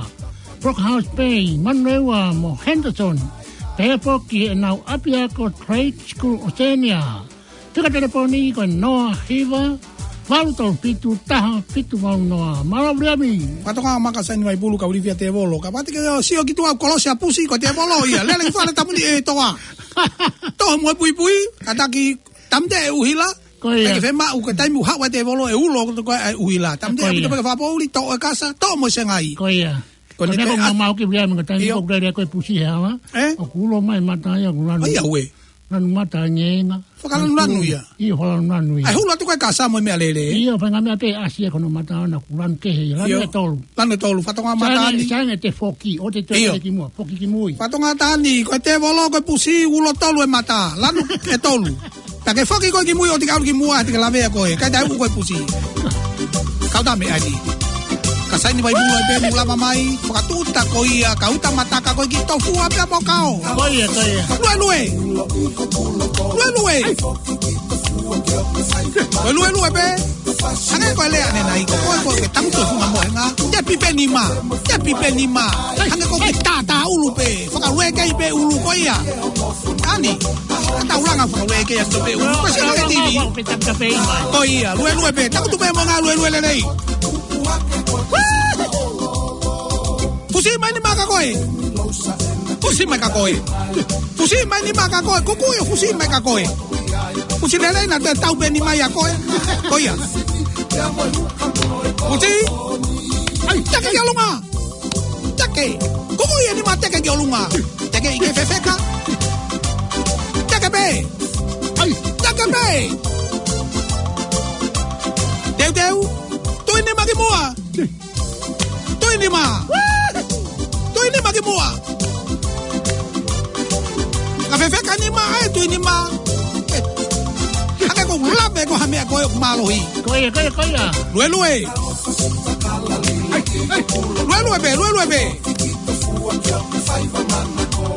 Brookhouse Bay, Manurewa mo Henderson, pehē foki ʻenau ʻapiako Trade School Oceania. Fika telefoni ko e noa hiva, valu tolu fitu, taha fitu valu noa. Mālō Viliami. Fatongia maka saini mai pulu ka ulifia tēvolo. Ka pati ke sio ki tuʻa kolosi ʻa Pusi ko tēvolo ia. Lele ki fale tamuni e toa. Toʻo mo e puipui, ka taki tamte e ʻuhila. Ko ia. Ke fiemaʻu ke taimi ʻoku haʻu ai tēvolo ʻe ulo ko e ʻuhila. Tamte e puipui ke fakapoʻuli, toʻo e kasa, toʻo mo e sengai. Ko ia. Ko ʻene ko e mamau ki Viliami ko e taimi ʻoku lele ko e Pusi he hala. ʻOku ulo mai mata ia ʻoku lanu. ʻAi ue. Lanu mata ngēnga. Fakalanulanu ia. ʻIo, fakalanulanu ia. ʻAi hulu atu ko e kasa mo e meʻalele. ʻIo, fai ngā meʻa pē ʻasi e kono mata ʻana ʻoku lanu kehe ia. Lanu ʻe tolu. Lanu ʻe tolu, fatongia mata ni. Sai ange te foki, ʻo te toe ki muʻa, foki ki mui. Fatongia Tani, ko e tēvolo, ko e Pusi, ulo tolu e mata. Lanu ʻe tolu. Ta ke foki koe ki mui ʻo te ke ʻalu ki muʻa, te ke lavea koe. Kai tai uku koe Pusi. Kau tame ani. Ka saini vai pulu ai pē, mou lava mai, fakatuʻuta ko ia, ka uta mataka ko e ki tofua pea mo kao. Ko ia, ko ia. Luelue. Luelue. Ko e luelue pē. Hangē ko e lea ʻanenai, ko koe ko e ke tangutu e funga mohenga. Tepi pē nima. Tepi pē nima. Hangē ko e ke tātā ʻulu pē. Fakalue kei pē ʻulu ko ia. Ani, ka tau langa fakalue kei atu pē ʻulu. Ko e sio ki he T V. Ko ia, luelue pē. Tangutu pē mo ngā luelue lelei. Pusi mai nima kia koe. Pusi mai kia koe. Pusi mai nima kia koe. Kuku ia pusi mai kia koe. Pusi lelei naʻa te tau pē nima ia kia koe. Ko ia. Pusi. ʻAi, teke ki ʻolunga. Teke. Kuku ia nima teke ki ʻolunga. Teke ʻi ke fefeka. Teke pē. ʻAi. Teke pē. Teuteu. Tui nima ki muʻa. Tui nima. Tui nima ki muʻa. Ka fefeka nima ai, tui nima. Hake ko lave ko ha meʻa ko e mālohi. Ko ia, ko ia, ko ia. Luelue. Luelue pē, luelue pē.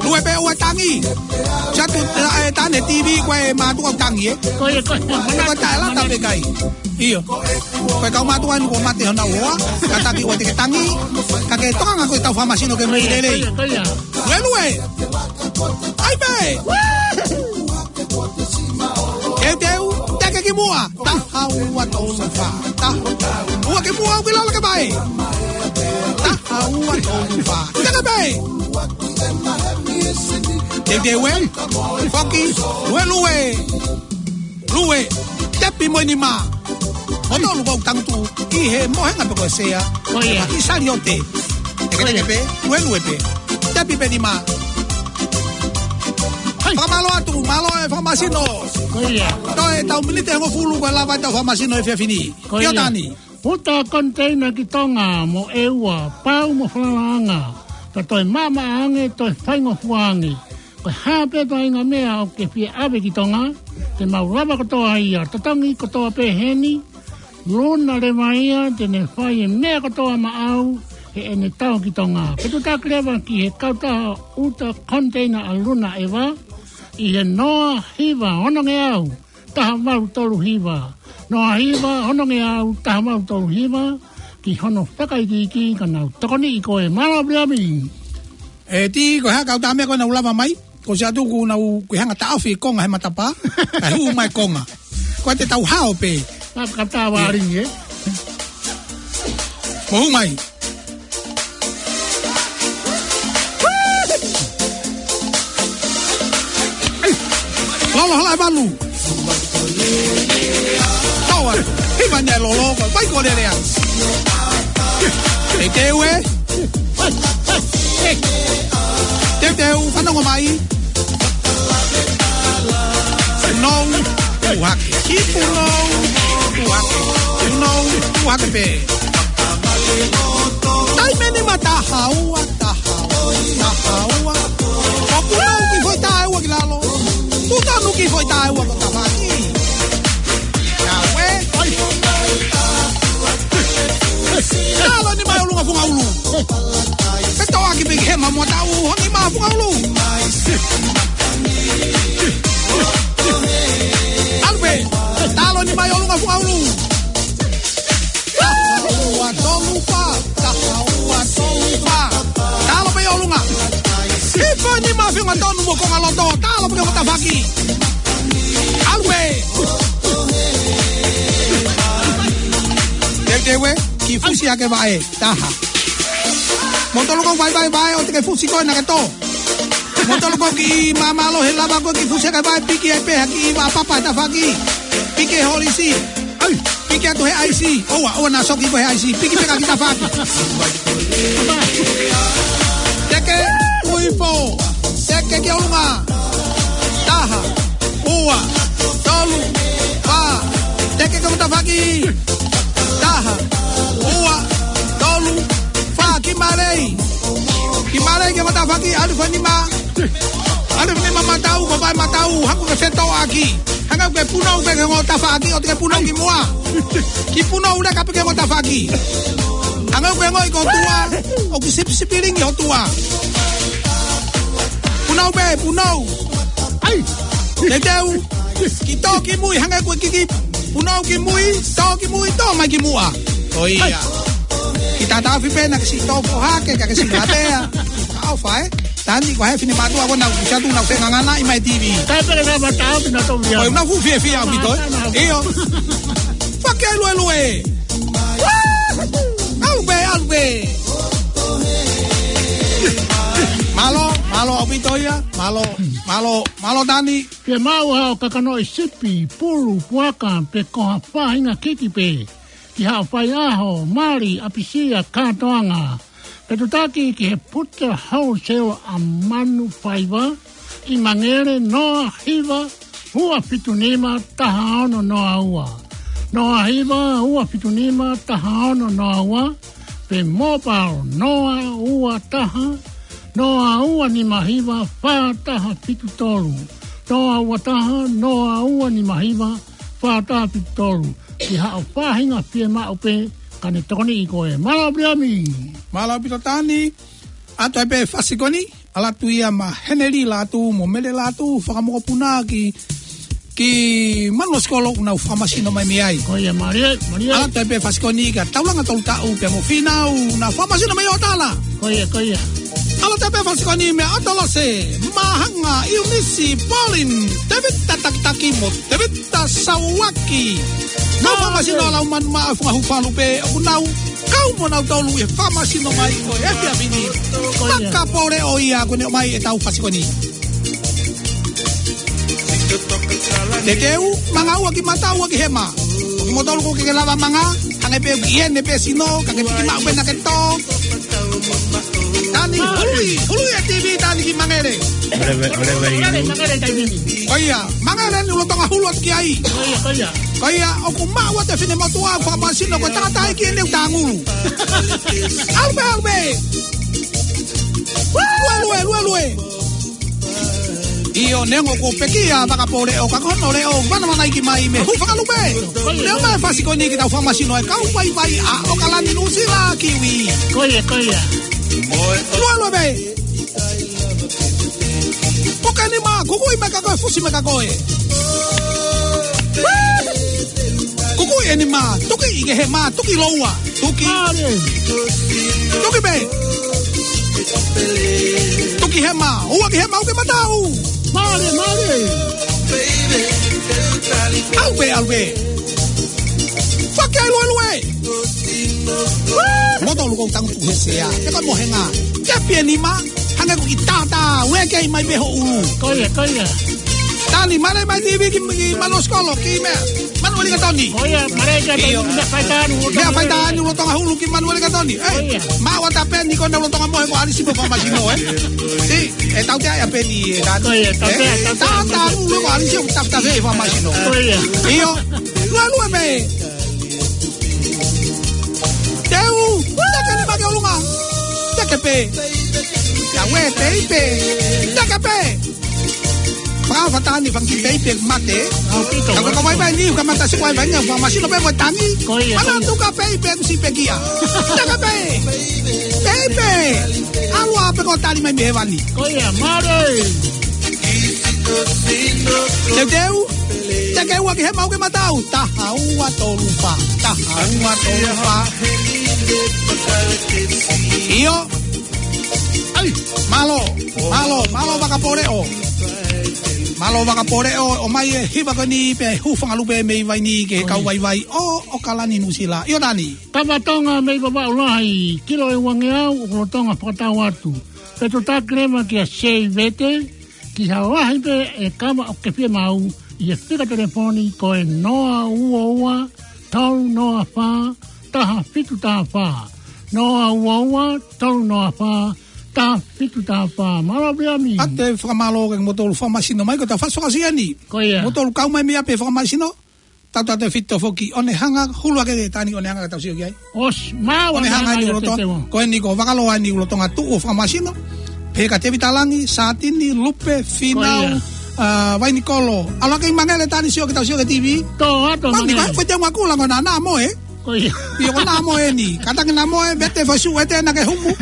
Lue pē ʻo e tangi. Satu, e, tane T V ko e mātuʻa tangi, ē. Ko ia, ko ia. Ko e taʻelata pē kai. ʻIo. Ko e kau mātuʻa ʻeni kuo mate honau hoa, ka taki ʻoua te ke tangi, ka ke tokanga ko e tau fakamasino ke mei lelei. Ko ia, ko ia. Luelue. ʻAi pē. Teuteu, teke ki muʻa. Taha ua tolu fā. Taha. Ua ki muʻa ʻo ki lalo ki he vaʻe. Taha ua tolu fā. Teke pē. Teuteu ē. Foki. Luelue. Lue, tepi mo e nima. Mo tolu ʻoku tangutu ʻi he mohenga pe ko e sea. Ko ia. Ki Saliote. Teke teke pē, luelue pē. Tepi pē nima. Hai. Fakamālō atu, mālō e fakamasino. Ko ia. Toe tau miniti ʻe hongofulu ko e lava e tau fakamasino he efiafi ni. Ko ia. ʻIo Tani. Uta konteina ki Tonga mo ʻEua, pau mo falalaʻanga. Ta toe maʻamaʻa ange, toe faingofua ange. Ko e hā pē faʻahinga meʻa ʻoku ke fie ʻave ki Tonga, te mau lava kotoa ia. Totongi kotoa pē heni, luna leva ia, te ne fai e meʻa kotoa maʻau heʻene tau ki Tonga. Fetuʻutaki leva ki he kautaha ʻuta koniteina ʻa Luna ʻEva, ʻi he noa hiva ono ngeau, taha valu tolu hiva. Noa hiva ono ngeau, taha valu tolu hiva, ki hono fakaikiiki ka nau tokoniʻi koe. Mālō Viliami. ʻE Tī, ko e hā e kautaha meʻa ko ē naʻa nau lava mai? Ko ʻosi atu kuo nau, kuo hanga ʻo taʻofi e konga he matapā, kae hū mai e konga. Ko e te tau hao pē. Ka, ka tā vāringi, ē? Mou hū mai. Lolo hala e valu. Tau atu. Hiva ni e lolo, ko e vai ko lele atu. Teuteu ē. Teuteu, fanongo mai. Punou, puhake. Ki punou, puhake. Punou, puhake pē. Taimi ni ma taha ua, taha ua, taha ua. Ko punou ki foʻi taʻu ua ki lalo. Tuʻu tonu ki foʻi taʻu ua ko tafaki. Ia ue. Ai. Talo nima ʻi ʻolunga funga ʻulu. Petoa ki piki hema mo tau ho nima funga ʻulu. Alpe, talo nima ʻi ʻolunga funga ʻulu. Taha ua tolu fā, taha ua tolu fā. Talo pē ʻi ʻolunga. Hifo nima funga tonu mo konga loto, talo pē ki he tafaki. Alpe. Teuteu ē, kiʻi fusi hake vaʻe. Taha. Mo tolu ko vai vai vai, ʻoua te ke fusi koe naʻa ke tō. Mo tolu ko kiʻi māmālohi lava ko e kiʻi fusi hake vaʻe, piki ai pē ha kiʻi vaʻa papa he tafaki. Piki he holisi. Ai, piki atu he ʻaisi. ʻOua, ʻoua naʻa soki koe he ʻaisi. Piki pē ka ki tafaki. Teke, ui fo. Teke ki ʻolunga. Taha, ua, tolu, fā. Teke ki he tafaki. Taha, ua, tolu, fā, kiʻi mālei. Kiʻi mālei ki he tafaki, ʻalu ki he nima. ʻAlu ki he nima matau, ko vai matau, haku ke fetoʻaki. Hanga ke punou pē ki he tafaki, ʻoua te ke punou ki muʻa. Kiʻi punou leka pē ki he tafaki. Hanga ke ngoi ko tua, ʻoku sipisipilingi ho tua. Punou pē, punou. Ai, teuteu. Kiʻi tō ki mui, hanga ko e kiʻi punou ki mui, tō ki mui, tō mai ki muʻa. ʻOia. Kiʻi tatafi pē naʻa ke siʻi tō foha ke, ka ke siʻi latea. ʻOfa ē. Tani ko e fefine mātuʻa ko ena ʻoku siʻi atu naʻa nau fengangana ʻi mai T V. Tape le na mata au pina tau ia. ʻOi, naʻa fuʻu fiefia ʻaupito ē. ʻIo. Fakaeluelue. ʻAlu pē, ʻalu pē. Mālō, mālō ʻaupito ia. Mālō, mālō, mālō Tani. Pea maʻu ha kakanoʻi sipi, pulu, puaka, pe ko ha faʻahinga kiki pē. Ki haʻo faiʻaho, mali, ʻapisia, kātoanga. Fetuʻutaki ki he Puta Wholesale ʻa Manufaiva, ʻi Mangere, noa hiva, ua fitu nima, taha ono noa ua. Noa hiva, ua fitu nima, taha ono noa ua. Pe mobile, noa ua taha, noa ua nima hiva, fā taha fitu tolu. Noa ua taha, noa ua nima hiva, fā taha fitu tolu. Ki haʻo faʻahinga fiemaʻu pē, ka ne tokoniʻi koe. Mālō Viliami. Mālō ʻaupito Tani. ʻAtu ai pē fasikoni, ʻalu atu ia ma Heneli Latu, mo Mele Latu, fakamokopuna ki, ki Manuasikolo ʻoku nau fakamasino mai mei ai. Ko ia, mālie, mālie. ʻAlu atu ai pē fasikoni ka Taulanga Tolutaʻu pea mo Finau, nau fakamasino mai ʻo tala. Ko ia, ko ia. ʻAlu atu ai pē fasikoni meia ʻAtalase, Mahanga, Iunisi, Pauline, Tevita Takitaki mo Tevita Sauaki. Nau fakamasino lau manu maʻa Funga Hufalu pē, ʻoku nau kau mo nau tolu ʻi he fakamasino mai ʻo e efiafi ni. Ko ia. Makapole ʻo ia ko eni ʻomai ʻetau fasikoni. Teuteu, manga ua ki mata, ua ki hema. Ko kimoutolu ʻoku ke lava manga, hangē pē ʻoku ʻi heni pē sino, ka ke piki maʻu pē naʻa ke tō. Tani, hului, hului e T V Tani ki Mangere. Ole vai, ole vai. Mangere, Mangere, Tani. Ko ia, Mangere ni lolotonga hulu atu ki ai. Ko ia, ko ia. Ko ia, ʻoku maʻu ʻa e fefine motuʻa, fakamasino ko e tangataʻeiki ʻene ʻuta ngulu. ʻAlu pē, ʻalu pē. Lue, lue, lue, lue. ʻIo, neongo kuo pekia Vakapōleʻo ka ko hono leʻo, vanavanaiki mai mei Hūfangalupe. Neongo mai e fasi ko eni ki heʻetau fakamasino ʻa e kau vaivai ʻa ʻOkalani Nuʻusila, Kiwi. Ko ia, ko ia. Lua lua pē. Puke nima, kukuʻi mai ka ko e fusi mai ka ko e. Kukuʻi e nima, tuki ʻi he hema, tuki loua, tuki. Mālie. Tuki pē. Tuki hema, ua ki hema, uke matau. Mālie, mālie. ʻAlu pē, ʻalu pē. Fake ai luelue. Moto luko tangu he sea. Te ko mohenga. Te pē nima. Hanga ko ki tata. Ue kei mai pē ho ʻulu. Ko ia, ko ia. Tani, male mai tivi ki, ki Manuʻa Sikolo, ki meʻa. Manuʻa Likatoni. Ko ia, male kia Toni, ʻio. Meʻa fai tānu, meʻa fai tānu, lolotonga hulu ki Manuʻa Likatoni. Ē, ko ia. Maʻu ʻa Tapeni ko ena lolotonga mohe ko Alisi mo fakamasino, ē. Sī, ʻe tau te ai ʻa Peni, ē, tānu. Ko ia, tau te ai, ē, tau te ai. Tā, tā, lolo ko Alisi ʻo taftafe fakamasino. Ko ia. ʻIo, lua lua pē. Teu, teke nima ki ʻolunga. Teke pē. Ia ue, peipe. Teke pē. Fakafatani fanga kiʻi peipe mate. ʻAupito. Ka ko e kau vaivai ni, ka mata si vaivai ni, fakamasino pē mo e tangi. Ko ia, ko ia. Mana tuka peipe, kusi pekia. Teke pē. Peipe. ʻAlu ā pē ko tali mai mei hēvani. Ko ia, mālie. Teuteu. Teke ua ki hema, uke matau. Taha ua tolu fā. Taha ua tolu fā. ʻIo. Ai, mālō, mālō, mālō Vakapōleʻo. Mālō Vakapōleʻo, ʻomai e hiva ko eni pē Hūfangalupe mei Vaini ki he kau vaivai ʻo ʻOkalani Nuʻusila. ʻIo Tani. Tama Tonga mei Vavaʻu Lahi, kilo ʻe uangeau, ʻoku lolotonga fakatau atu. Pe to taki leva kia Seivete, ki ha lahi pē e kava ʻoku ke fiemaʻu, ʻi he fika telefoni ko e noa ua ua, tolu noa fā, taha fitu taha fā. Noa ua ua, tolu noa fā, taha fitu taha fā. Mālō Viliami. ʻAte fakamālō ke motolu fakamasino mai, ko ta fasi fakasia ni. Ko ia. Motolu kau mai mei ʻapi fakamasino. Tau tate fito foki, ʻo ne hanga, hulu ake Tani ʻo ne hanga ka tau sio ki ai. ʻOsi, māua ʻo ne hanga ʻi ai ʻa lolotonga, Tetemo. Ko eni ko Vakaloa eni lolotonga tuʻu ʻo fakamasino. Pehē kia Tevita Langi, Satini, Lupe, Finau, ko ia. ʻA, Vainikolo. ʻAlu ake ʻi Mangele Tani sio ke tau sio ki he TV. Tō, ʻa tō Mangele. Ko e, ko e te ngakula ko na na mo e. Ko ia. ʻIo ko na mo e ni. Kātaki na mo e, vete fasu e te na ke humu.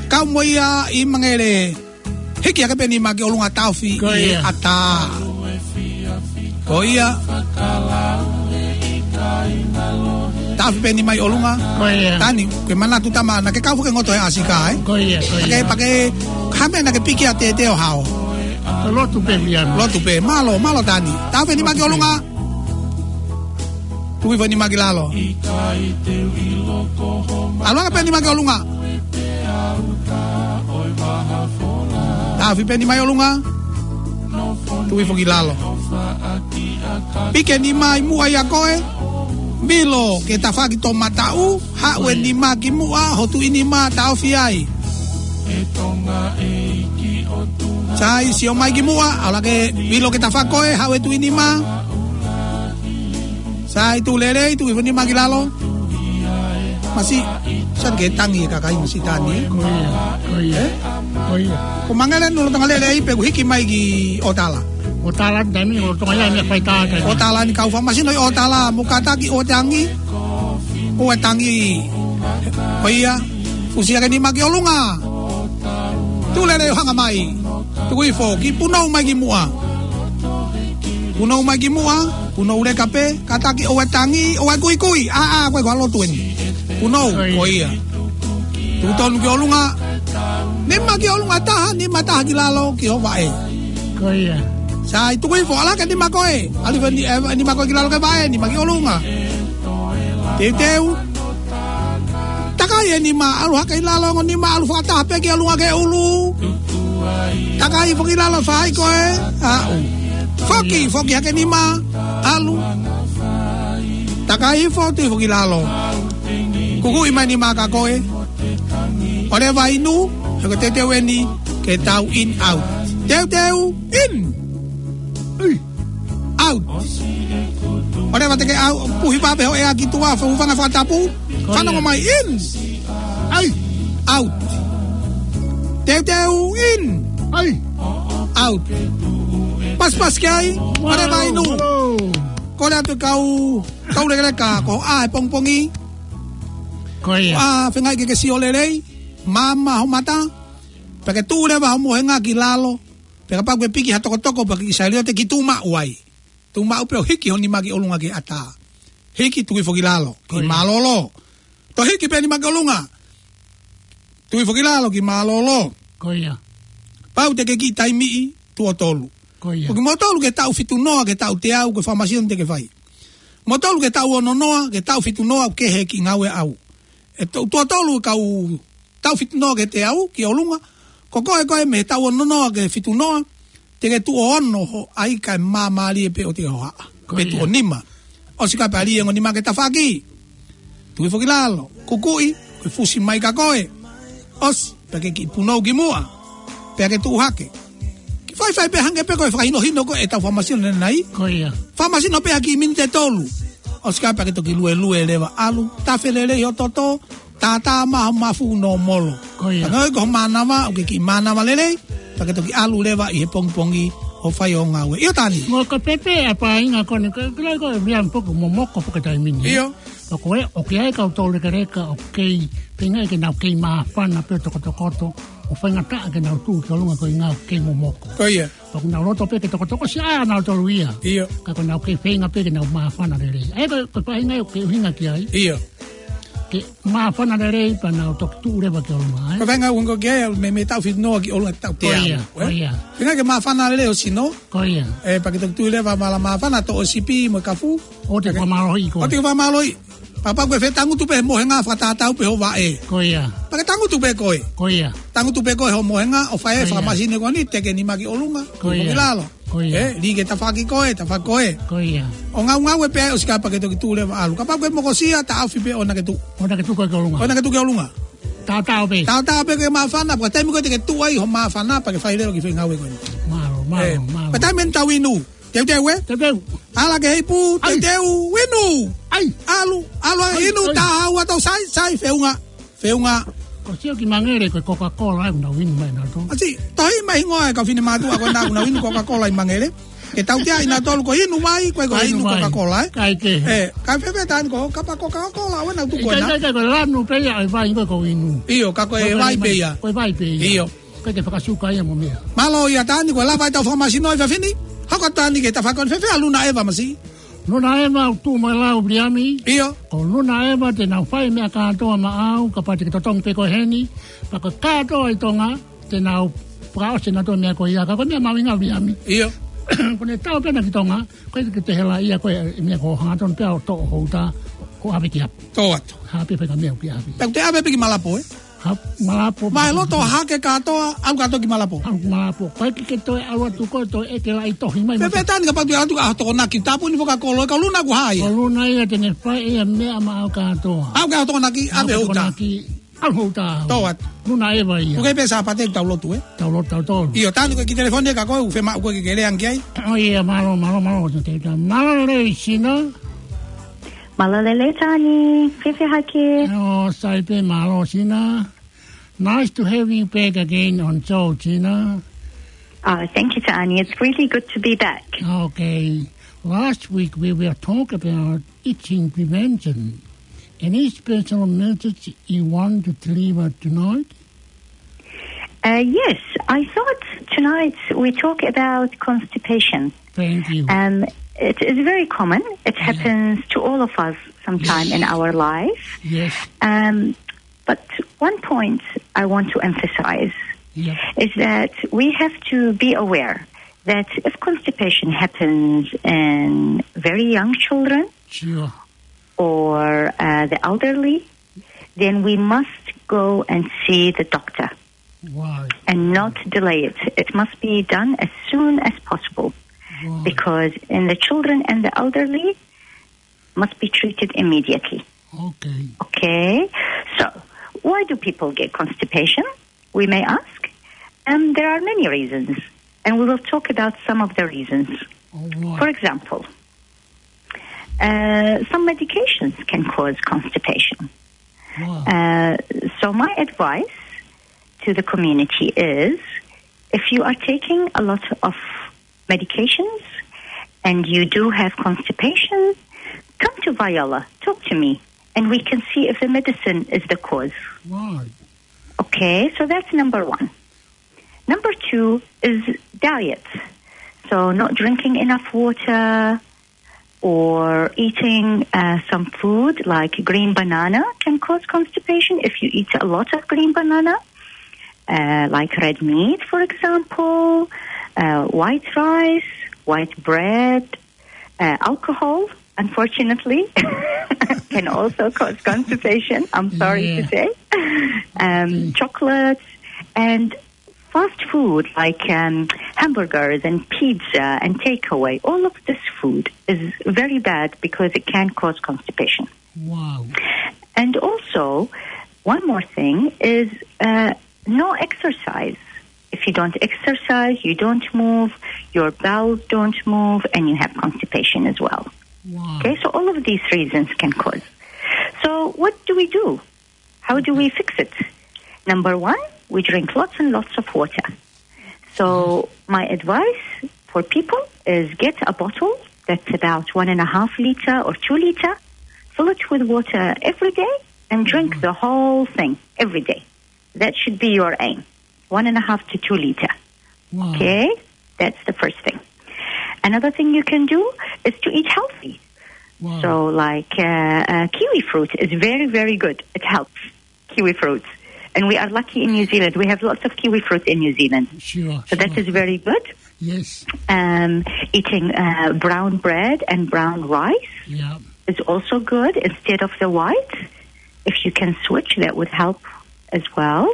Kau mo ia ʻi Mangele. Hiki ake pē nima ki ʻolunga, taofi ʻi he ʻatā. Ko ia. Taofi pē nima ʻi ʻolunga. Ko ia. Tani, ke manatu tama, naʻa ke kau fake ngoto he ʻasika, ē? Ko ia, ko ia. Pake, pake, hame naʻa ke piki ʻa Tete ʻo hao. Lotu pē, Viliami. Lotu pē, mālō, mālō Tani. Taofi nima ki ʻolunga. Tuku hifo nima ki lalo. ʻAlu ake pē nima ki ʻolunga. Taofi pē nima ʻi ʻolunga. Tuku hifo ki lalo. Piki e nima ʻi muʻa ʻia koe. Vilo ke tafaʻaki toʻomataʻu. Haʻu e nima ki muʻa, ho tuʻi nima taofi ai. Sai, sio mai ki muʻa, ʻalu ake Vilo ke tafaʻaki koe, haʻu e tuʻi nima. Sai, tuʻu lelei, tuku hifo nima ki lalo. Masi, sai ke tangi e kakai masi Tani, ē? Ko ia, ko ia, ko ia. Ko Mangele eni lolotonga lelei pē kuo hiki mai ki ʻOtala. ʻOtala ni taimi, lolotonga ia meʻa fai tā kai. ʻOtala ni kau fakamasino ʻi ʻOtala, mo kātaki ʻo tangi. ʻO e tangi. Ko ia, fusi ake nima ki ʻolunga. Tuʻu lelei ʻo hanga mai. Tuku hifo, ki punou mai ki muʻa. Punou mai ki muʻa, punou leka pē, kātaki ʻo e tangi, ʻo e kuikui. ʻA, ʻa, ko e kua lotu eni. Punou, ko ia. Tuku tonu ki ʻolunga. Nima ki ʻolunga taha, nima taha ki lalo ki ho vaʻe. Ko ia. Sai, tuku hifo, ʻalu ake nima koe. ʻAlu hifo ni, ē, nima koe ki lalo ki he vaʻe, nima ki ʻolunga. Teuteu. Takai e nima, ʻalu hake ʻi lalo, ongo nima, ʻalu fakataha pē ki ʻolunga ki he ʻulu. Takai foki ʻi lalo, fai koe, aʻu. Foki, foki hake nima, ʻalu. Takai hifo, tuʻu foki ʻi lalo. Kukuʻi mai nima kia koe. ʻOleva inu, he ko e teuteu eni, ke tau in out. Teuteu, in. Ui. Out. ʻOleva te ke out, puhi pē ho ʻea ki tuʻa, hūfanga he fakatapu. Fanongo mai, in. Ai. Out. Teuteu, in. Ai. Out. Pasipasi ki ai, ʻo leva inu. Kole atu e kau, kau lekeleka, ko e ʻā e pongipongi. Ko ia. ʻA, feinga ke ke sio lelei, maama ho mata, pea ke tuʻu leva ho mohenga ki lalo, pea kapau ʻoku ke piki ha tokotoko, pea ke kiʻi saliote ki tuʻu maʻu ai. Tuʻu maʻu pē ʻo hiki ho nima ki ʻolunga ki he ʻatā. Hiki tuʻu hifo ki lalo, ki mālōlō. Toe hiki pē nima ki ʻolunga. Tuʻu hifo ki lalo ki mālōlō. Ko ia. Pau te ke kiʻi taimiʻi tuʻo tolu. Ko ia. Ko kimoutolu ke taʻu fitu noa, ke taʻu teau, ko e fakamāsino te ke fai. Kimoutolu ke taʻu ono noa, ke taʻu fitu noa, ʻoku kehe e kiʻi ngāue ʻaʻau. ʻE tuʻu, tuʻo tolu kau taʻu fitu noa ki he teau, ki ʻolunga. Ko koe, koe mei he taʻu ono noa ki he fitu noa, te ke tuʻo ono ho ʻai kae māmālie pē ʻo te hohaʻa. Ko ia. Pe tuʻo nima. ʻOsi ka pali e ongo nima ki he tafaʻaki. Tuʻu hifo ki lalo, kukuʻi, ko e fusi mai ka koe. ʻOsi, pea ke kiʻi punou ki muʻa. Pea ke tuʻu hake. Kiʻi faifai pē hangē pē ko e fakahinohino ko ē ʻetau fakamāsino ʻanenai. Ko ia. Fakamāsino pē ha kiʻi miniti ʻe tolu. ʻOsi ka pea ke toki luelue leva ʻalu. Tafe lelei ho toto. Tātā maʻu ho mafu nōmolo. Ko ia. Ka ngoi ko ho mānava, ʻoku ke kiʻi mānava lelei, pea ke toki ʻalu leva ʻi he pongipongi ʻo fai ho ngāue. ʻIo Tani. Mo ka pepe a painga kone, ka, ka, ka, ia poku momoko poke taimi ni. ʻIo. Ka ko e, ʻoku ʻi ai e kau tau lekeleka, ʻoku kei, feinga ke nau kei māfana pē tokotokoto, ʻo faingataʻa ke nau tuʻu ki ʻolunga ko e ngāue kei momoko. Ko ia. Pea ʻoku nau loto pē ke tokotoko siʻa ʻanautolu ia. ʻIo. Ka ko ʻenau kei feinga pē ke nau māfana lelei. ʻA ia ko, ko e painga ʻoku ke ʻuhinga ki ai. ʻIo. Ke māfana lelei pea nau toki tuʻu leva ki ʻolunga, ē? Ko e painga ʻoku ʻuhinga ki ai, mei, mei he taʻu fitu noa ki ʻolunga ki he taʻu teau. Ko ia, ko ia. Feinga ke māfana lelei ho sino. Ko ia. Ē, pea ke toki tuʻu leva māla māfana, toʻo e sipi mo e kafu. ʻOua te ke fakamālohiʻi koe. ʻOua te ke fakamālohiʻi. Pea kapau ʻoku ke fie tangutu pē he mohenga fakatātā pē ho vaʻe. Ko ia. Pea ke tangutu pē koe. Ko ia. Tangutu pē koe ho mohenga ʻo fai e fakamāsino ko eni, teke nima ki ʻolunga. Ko ia. Ki lalo. Ko ia. Ē, lī ki he tafaʻaki ko ē, tafaʻaki ko ē. Ko ia. ʻO ngaungaue pē ʻosi ka pea ke toki tuʻu leva ʻalu. Kapau ʻoku ke mokosia, taʻofi pē ʻoua naʻa ke tuʻu. ʻOua naʻa ke tuʻu koe ki ʻolunga. ʻOua naʻa ke tuʻu ki ʻolunga. Tātā pē. Tātā pē ke māfana, pea taimi ko ē te ke tuʻu ai ho māfana, pea ke fai leva e kiʻi foʻi ngāue ko eni. Mālō, mālō, mālō. Pea taimi eni tau inu. Teuteu, ē? Teuteu. ʻAla ki he ipu, teuteu, inu. ʻAi. ʻAlu, ʻalu ʻa e inu, tā hau atu, sai, sai, feʻunga, feʻunga. Ko sio ki Mangele ko e Coca-Cola ʻoku nau inu mai ʻanautolu. ʻAsi, tohi mai hingoa e kau finemātuʻa ko ena ʻoku nau inu Coca-Cola ʻi Mangele. Ke tautea ʻi ʻanautolu ko e inu vai, ko e ko e inu Coca-Cola, ē? Kae kehe. Ē, kae fēfē Tani ko, kapau ko e Coca-Cola, ʻoua naʻa tuku ena. Kae, kae, kae, ko e lanu pē ia ʻo e vai ko e ko e inu. ʻIo, ka ko e vai pē ia. Ko e vai pē ia. ʻIo. Ko e ke fakasuka ia mo meʻa. Mālō ia Tani, ko e lava ʻetau fakamāsino ʻi he efiafi ni. Hoko Tani ki he tafaʻaki ko eni, fēfē ʻa Luna ʻEva masi? Luna ʻEva ʻoku tuʻu mo e lau Viliami. ʻIo. Ko Luna ʻEva te nau fai meʻa kātoa maʻau, kapau te ke totongi pē koe heni. Pea ko e kātoa ʻi Tonga, te nau fakaʻosi ʻanautolu meʻa ko ia, ka ko e meʻa mahuʻinga Viliami. ʻIo. Ko ʻene tau pē ena ki Tonga, ko e ke te hela ia ko e meʻa ko hangatonu pē ʻo toʻo ho uta, ʻo ʻave ki ʻapi. Tō atu. Haʻu pē fai ha meʻa ki ʻapi. Pea te ʻave pē ki Malapo, ē? Ha, Malapo. Mai loto hake kātoa, ʻalu kātoa ki Malapo. ʻAlu Malapo. Ko e ke ke toe ʻalu atu ko e toe ʻeke laʻi tohi mai. Fēfē Tani kapau te ke ʻalu atu ʻa Tokonaki, tāpuni fakakolo, e kau Luna ʻoku hā ia. Ko Luna ia te ne fai ia meʻa maʻau kātoa. ʻAlu ki ʻa Tokonaki, ʻave ho uta. Tokonaki, ʻave ho uta. Tō atu. Luna ʻEva ia. ʻOku ʻi ai pē Sāpate ʻoku tau lotu, ē? Tau lotu, tau tolu. ʻIo Tani ko e kiʻi telefoni ē ka ko e ʻoku fiemaʻu ko e ke ke lea ange ki ai. ʻOi ia, mālō, mālō, mālō, te, te, mālō lelei Sina. Mālō lelei Tani, fēfē hake? ʻO, sai pē, mālō Sina. Nice to have you back again on show, Sina. Oh, thank you, Tani. It's really good to be back. Okay. Last week we were talk about itching prevention. Any special message you want to deliver tonight? Uh, yes, I thought tonight we talk about constipation. Thank you. Um, it is very common. It happens to all of us sometime in our life. Yes. Um, but one point I want to emphasize is that we have to be aware that if constipation happens in very young children, sure, or, uh, the elderly, then we must go and see the doctor. Why? And not delay it. It must be done as soon as possible. Why? Because in the children and the elderly, must be treated immediately. Okay. Okay? So, why do people get constipation? We may ask. Um, there are many reasons, and we will talk about some of the reasons. All right. For example, uh, some medications can cause constipation. Wow. Uh, so my advice to the community is, if you are taking a lot of medications and you do have constipation, come to Viola, talk to me, and we can see if the medicine is the cause. Right. Okay, so that's number one. Number two is diet. So not drinking enough water or eating uh, some food like green banana can cause constipation if you eat a lot of green banana, uh, like red meat, for example, uh, white rice, white bread, uh, alcohol, unfortunately, can also cause constipation, I'm sorry to say. Um, chocolates and fast food like um, hamburgers and pizza and takeaway. All of this food is very bad because it can cause constipation. Wow. And also, one more thing is uh, no exercise. If you don't exercise, you don't move, your bowels don't move, and you have constipation as well. Wow. Okay, so all of these reasons can cause. So what do we do? How do we fix it? Number one, we drink lots and lots of water. So my advice for people is get a bottle that's about one and a half liter or two liter, fill it with water every day, and drink the whole thing every day. That should be your aim, one and a half to two liter. Wow. Okay, that's the first thing. Another thing you can do is to eat healthy. Wow. So, like uh, uh, kiwi fruit is very, very good. It helps, kiwi fruits. And we are lucky in New Zealand. We have lots of kiwi fruit in New Zealand. Sure. So sure. That is very good. Yes. Um, eating uh, brown bread and brown rice yeah. is also good instead of the white. If you can switch, that would help as well.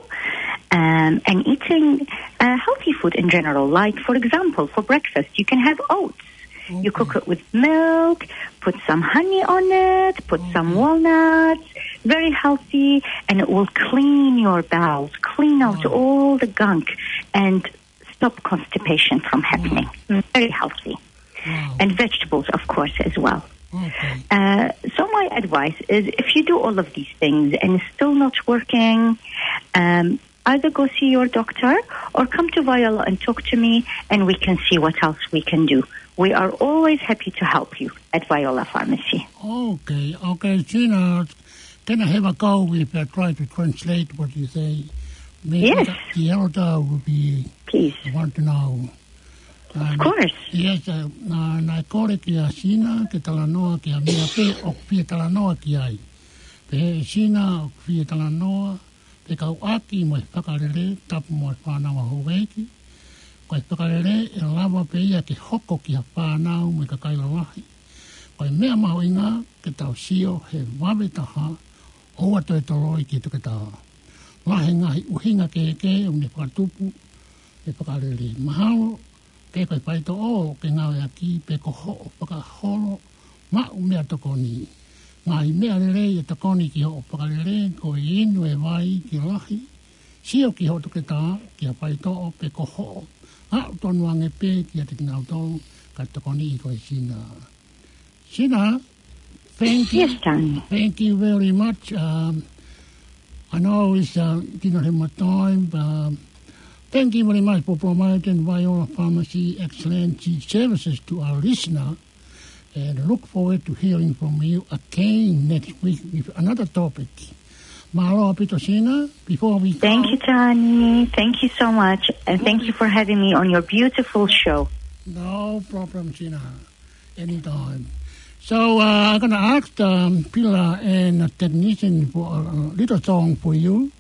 Um, and eating uh, healthy food in general. Like, for example, for breakfast, you can have oats. Okay. You cook it with milk, put some honey on it, put okay. some walnuts. Very healthy, and it will clean your bowels, clean out wow. all the gunk, and stop constipation from happening. Wow. Very healthy. Wow. And vegetables, of course, as well. Okay. Uh, so my advice is, if you do all of these things and it's still not working, um, either go see your doctor or come to Viola and talk to me, and we can see what else we can do. We are always happy to help you at Viola Pharmacy. Okay, okay, Tina, can I have a go if I try to translate what you say? Maybe yes. The, the elder will be Please. Want to know. Of course. Yes, uh, na, na kole kia Sina, ke talanoa kia mea pe, ʻoku fie talanoa ki ai. Pe Sina, ʻoku fie talanoa, pe kau ʻaki mo e fakalele, tapu mo e fānau ʻa Houʻeiki. Ko e fakalele, ʻe lava pē ia ke hoko ki ha fānau mo e kakai lalahi. Ko e meʻa mahuʻinga, ke tau sio, he vave taha, ʻoua toe toloi ki he toketā. Lahi e ngaahi ʻuhinga kehekehe ʻoku ne fakatupu e fakalele. Mahalo, pe ko e faitoʻo ke ngāueʻaki, pe ko hoʻo fakaholo, maʻu meʻatokoni. Ngaahi meʻa lelei ʻe tokoni ki hoʻo fakalele, ko e inu e vai ke lahi, sio ki hoʻo toketā, ki ha faitoʻo, pe ko hoʻo aʻu tonu ange pē kiate kinautolu, ka tokoniʻi koe Sina. Sina, thank you. Yes, Tony. Thank you very much. Um, I know it's uh, did not have much time, but um, thank you very much for providing Viola Pharmacy excellent services to our listener. And look forward to hearing from you again next week with another topic. Mālō ʻaupito Sina, before we go. Thank you, Tony. Thank you so much. And thank you for having me on your beautiful show. No problem, Sina. Anytime. So uh, I'm going to ask um, Pila and a technician for a, a little song for you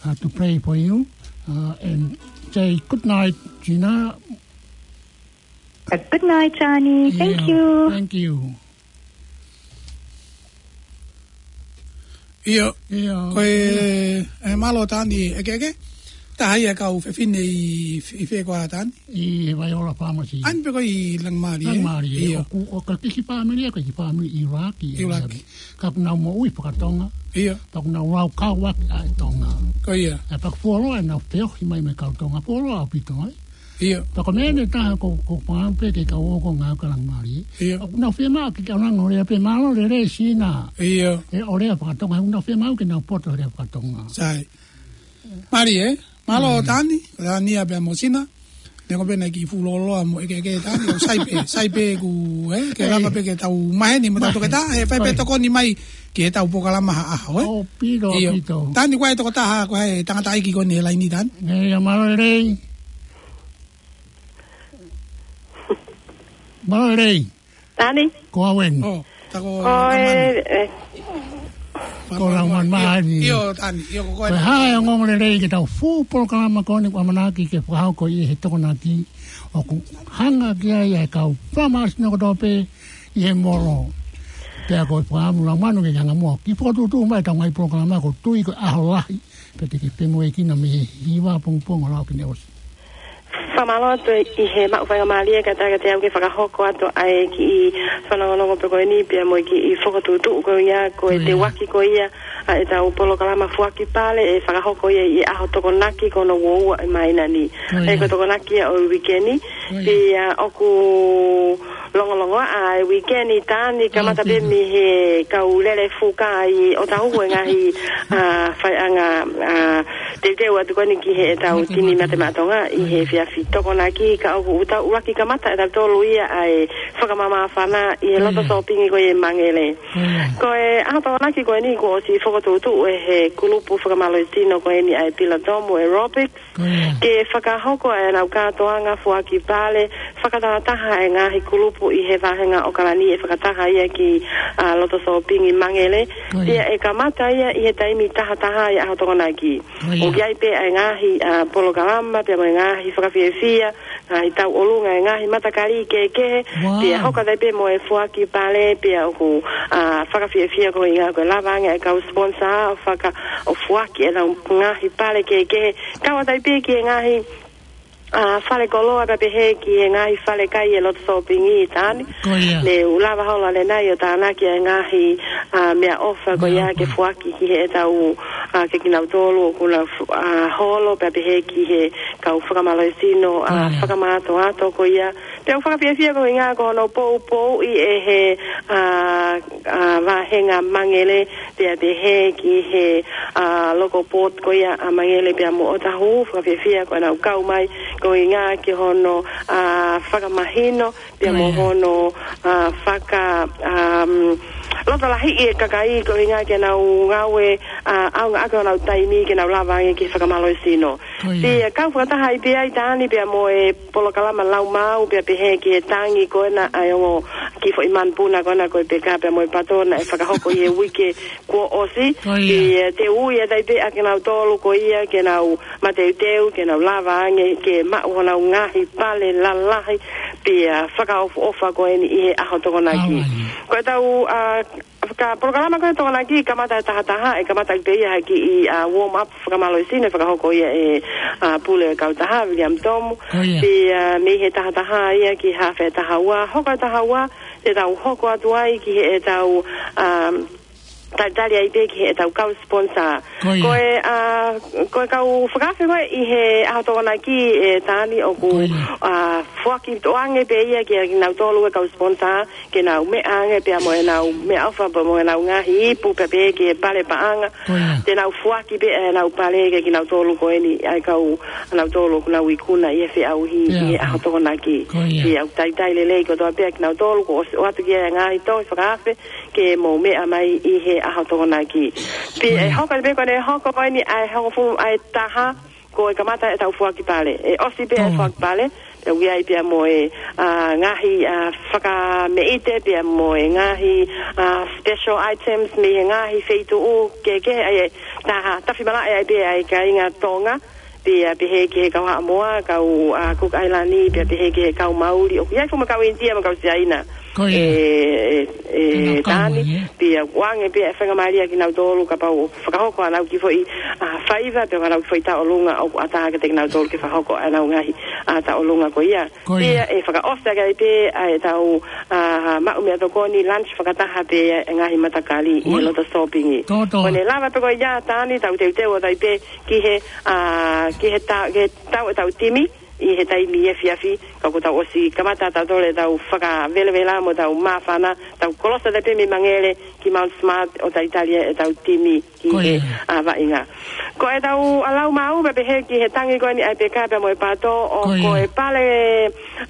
uh, to play for you uh, and say good night, Gina. Uh, good night, Johnny. Thank yeah, you. Thank you. ʻIo, ʻio, ko e, e mālō Tani, ʻeke, ʻeke. Taha ia kau fefine ʻi, ʻi fē koā Tani? ʻI he Viola Pharmacy. ʻAni pē ko ʻi Langimālie. Langimālie, ʻio. ʻOku, ʻoku kei kiʻi fāmili, ko e kiʻi fāmili ʻIulaki. ʻIulaki. Ka ʻoku nau moʻui faka-Tonga. ʻIo. Pea ʻoku nau lau kau ʻaki ʻa e Tonga. Ko ia. ʻE pea ʻoku fuoloa ʻenau feohi mai mo e kau Tonga. Fuoloa ʻaupito, ē? ʻIo. Pea ko e meʻa ʻe taha ko, ko e fānau pē ke kau ō ko e ngāue ʻa Langimālie. ʻIo. ʻOku nau fiemaʻu ke kau ʻo lea pē mālō lelei Sina. ʻIo. ʻE ʻo lea faka-Tonga, ʻoku nau fiemaʻu ke nau poto lea faka-Tonga. Sai. Mālie, ē? Mālō Tani, Tani ʻa pea mo Sina. Ko pena ki fuʻu loloa mo ʻekeʻeke Tani, ʻo sai pē, sai pē ku, eh, ke lava pē ke tau maheni mo tau toketā, he fai pē tokoni mai ki heʻetau polokalama ha ʻaho, eh? ʻO pito, ʻIo. pito. Tani, ko e tokotaha, ko e tangataʻeiki ko eni he laini, Tani. ʻIo, mālō e lelei. Mālō e lelei. Tani? Ko au eni. ʻO, tā ko Ko e, Laumanu. eh, Ko Laumanu Mahani. ʻIo, Tani, ʻio, ko koe. Ko e hā e ongoongolelei ki heʻetau fuʻu polokalama ko eni kuo ʻamanaki ke fakahoko ʻi he Tokonaki, ʻoku hanga ki ai e kau fakamālohisino kotoa pē ʻi he molo. Pea ko e fakaʻamu Laumanu ke ke hanga muʻa ʻo kiʻi fokotuʻutuʻu mai ʻetau ngaahi polokalama, ʻoku ou tui ko e ʻaho lahi, pea te ke femoʻuekina mei he hiva pongipongi ʻo aʻu ki he ʻosi. Fakamālō atu ʻi he maʻu faingamālie ka taka te au ke fakahoko atu ʻa e kiʻi fanongonongo pē ko eni pea mo e kiʻi fokotuʻutuʻu ko ia, ko e Ko ia. teuaki ko ia ʻa ʻetau polokalama Foaki Pale, ʻe fakahoko ia ʻi he ʻaho Tokonaki ko hono uaua ʻo e māhina ni. Ko ia. ʻE ko e Tokonaki ia ʻo e uike ni. Ko ia. Pea ʻoku longolongoaʻa e uike ni, Tani, kamata pē mei he kau lele fuka ʻi ʻOtahuhu e ngaahi, ʻa, faiʻanga, ʻa, teuteu atu ko eni ki heʻetau tini mate maʻa Tonga ʻi he efiafi Tokonaki, ka ʻoku tau ʻuluaki kamata ʻe tautolu ia ʻa e fakamāmāfana ʻi he loto sōpingi ko ia ʻi Mangele. Ko e ʻaho Tokonaki ko eni kuo ʻosi fokotuʻutuʻu ʻe he kulupu fakamālohisino ko eni ʻa e Pilatomu Aerobics, Ko ia. ke fakahoko ʻenau kātoanga Foaki Pale, fakatahataha e ngaahi kulupu ʻi he vāhenga ʻOkalani, ʻe fakataha ia ki, ʻa, loto sōpingi Mangele. Ko ia. Pea ʻe kamata ia ʻi he taimi tahataha ʻi he ʻaho Tokonaki. Ko ia. ʻOku ʻi ai pē ʻa e ngaahi, ʻa, polokalama, pea mo e ngaahi fakafiefia, ngaahi tauʻolunga, e ngaahi matakali kehekehe, Wow. pea hoko atu ai pē mo e Foaki Pale, pea ʻoku, ʻa, fakafiefia ko ia ko e lava ange e kau sponsor ʻo faka-, ʻo foaki ʻenau ngaahi pale kehekehe. Kau atu ai pē ki he ngaahi, ʻa, fale koloa pea pehē ki he ngaahi fale kai ʻi loto sōpingi, Tani. Ko ia. Ne u lava holo ʻanenai ʻo tānaki e ngaahi, ʻa, meʻaʻofa ko ia Meʻaʻofa. ke foaki ki heʻetau, ʻa, ke kinautolu ʻoku nau f-, ʻa, holo pea pehē ki he kau fakamālohisino, ʻa, Ko ia. fakamātoato ko ia. Pea ʻoku fakafiefia ko ia ko hono poupouʻi ʻe he, ʻa, ʻa, vāhenga Mangele, pea pehē ki he, ʻa, local board ko ia ʻa Mangele pea mo ʻOtahuhu, fakafiefia ko ʻenau kau mai ko ia ki hono, ʻa, fakamahino, pea mo Ko ia. hono, ʻa, faka-, um, loto lahiʻi e kakai ko ia ke nau ngāue, ʻa, ʻaonga ʻaki honau taimi ke nau lava ange ki he fakamālohisino. Ko ia. Pea kau fakataha ai pē ai Tani pea mo e polokalama Laumāu pea pehē ki he tangi ko ena ʻa e ongo kiʻi foʻi manupuna ko ena ko e peka pea mo e pato naʻe fakahoko ʻi he uike kuo ʻosi. Ko ia. Pea te u ui atu ai pē ʻa kinautolu ko ia ke nau mateuteu, ke nau lava ange ke maʻu honau ngaahi pale lalahi, pea fakaʻofoʻofa ko eni ʻi he ʻaho Tokonaki. Aua ia. Ko ʻetau, ʻa, ka polokalama ko e Tokonaki kamata e tahataha, ʻe kamata pē ia ha kiʻi, ʻa, warm up fakamālohisino ʻe fakahoko ia ʻe, ʻa, Pule Kautaha, William Tomu. Ko ia. Pea, ʻa, mei he tahataha ia ki he hafe taha ua, hoko e taha ua, te tau hoko atu ai ki heʻetau, ʻa, talitali ai pē ki heʻetau kau sponsor. Ko ia. Ko e, ʻa, ko e kau fakaafe ko ē ʻi he ʻaho Tokonaki ʻe Tani ʻoku, Ko ia. ʻa, foaki toʻo ange pē ia kia kinautolu e kau sponsor, ke nau meʻa ange pea mo ʻenau meʻaʻofa pea mo ʻenau ngaahi ipu pea pehē ki he pale paʻanga. Ko ia. Te nau foaki pē ʻenau pale kia kinautolu ko eni ʻa e kau ʻanautolu ʻoku nau ikuna ʻi he feʻauhi Pea ʻi he ko. ʻaho Tokonaki. Ko ia. Pea ʻoku talitali lelei kotoa pē kinautolu kuo ʻosi ʻoatu ki ai e ngaahi tohi fakaafe ke mou meʻa mai ʻi he ʻaho Tokonaki. Pea Ko ia. ʻe hoko pē ko eni hoko ko eni ʻa e hongofulu ʻa e taha, ko e kamata ʻetau foaki pale. ʻE ʻosi pē ʻa e Tō. foaki pale, pea ʻoku ʻi ai pea mo e, ʻa, ngaahi, ʻa, fakameʻite, pea mo e ngaahi, ʻa, special items mei he ngaahi feituʻu kehekehe, ʻa e taha tafi malaʻe ai pē ʻa e kāinga Tonga, pea pehē ki he kau Haʻamoa, kau, ʻa, Cook Island, pea pehē ki he kau Mauli, ʻoku ʻi ai foki mo e kau ʻInitia mo e kau Siaina. Ko ia. ʻE, ʻe, ʻe, Tani, pea ʻoange pē ʻa e faingamālie kia kinautolu kapau ʻoku fakahoko ʻenau kiʻi foʻi, ʻa, faiva, pe ko ʻenau kiʻi foʻi tauʻolunga ʻoku ʻatā kiate kinautolu ke fakahoko ʻenau ngaahi, ʻa, tauʻolunga ko ia. Ko ia. Pea ʻe fakaʻosi ʻaki ai pē ʻa ʻetau, ʻa, maʻu meʻatokoni lunch fakataha pē ʻa e ngaahi matakali ʻi loto sōpingi. Ko ʻene lava pē ko ia Tani tau teuteu atu ai pē ki he, ʻa, ki he ta-, ki he tau ʻetau timi, ʻi he taimi efiafi, ka kuo tau ʻosi kamata tautolu ʻetau fakavelevela mo ʻetau māfana, tau kolosi atu pē mei Mangele ki Mount Smart ʻo talitali ʻetau timi ki Ko he, ia. ʻa, vaʻinga. Ko ʻetau, ʻa, laumāu pea pehē ki he tangi ko eni ʻa e peka pea mo e pato ʻo Ko ia. ko e pale,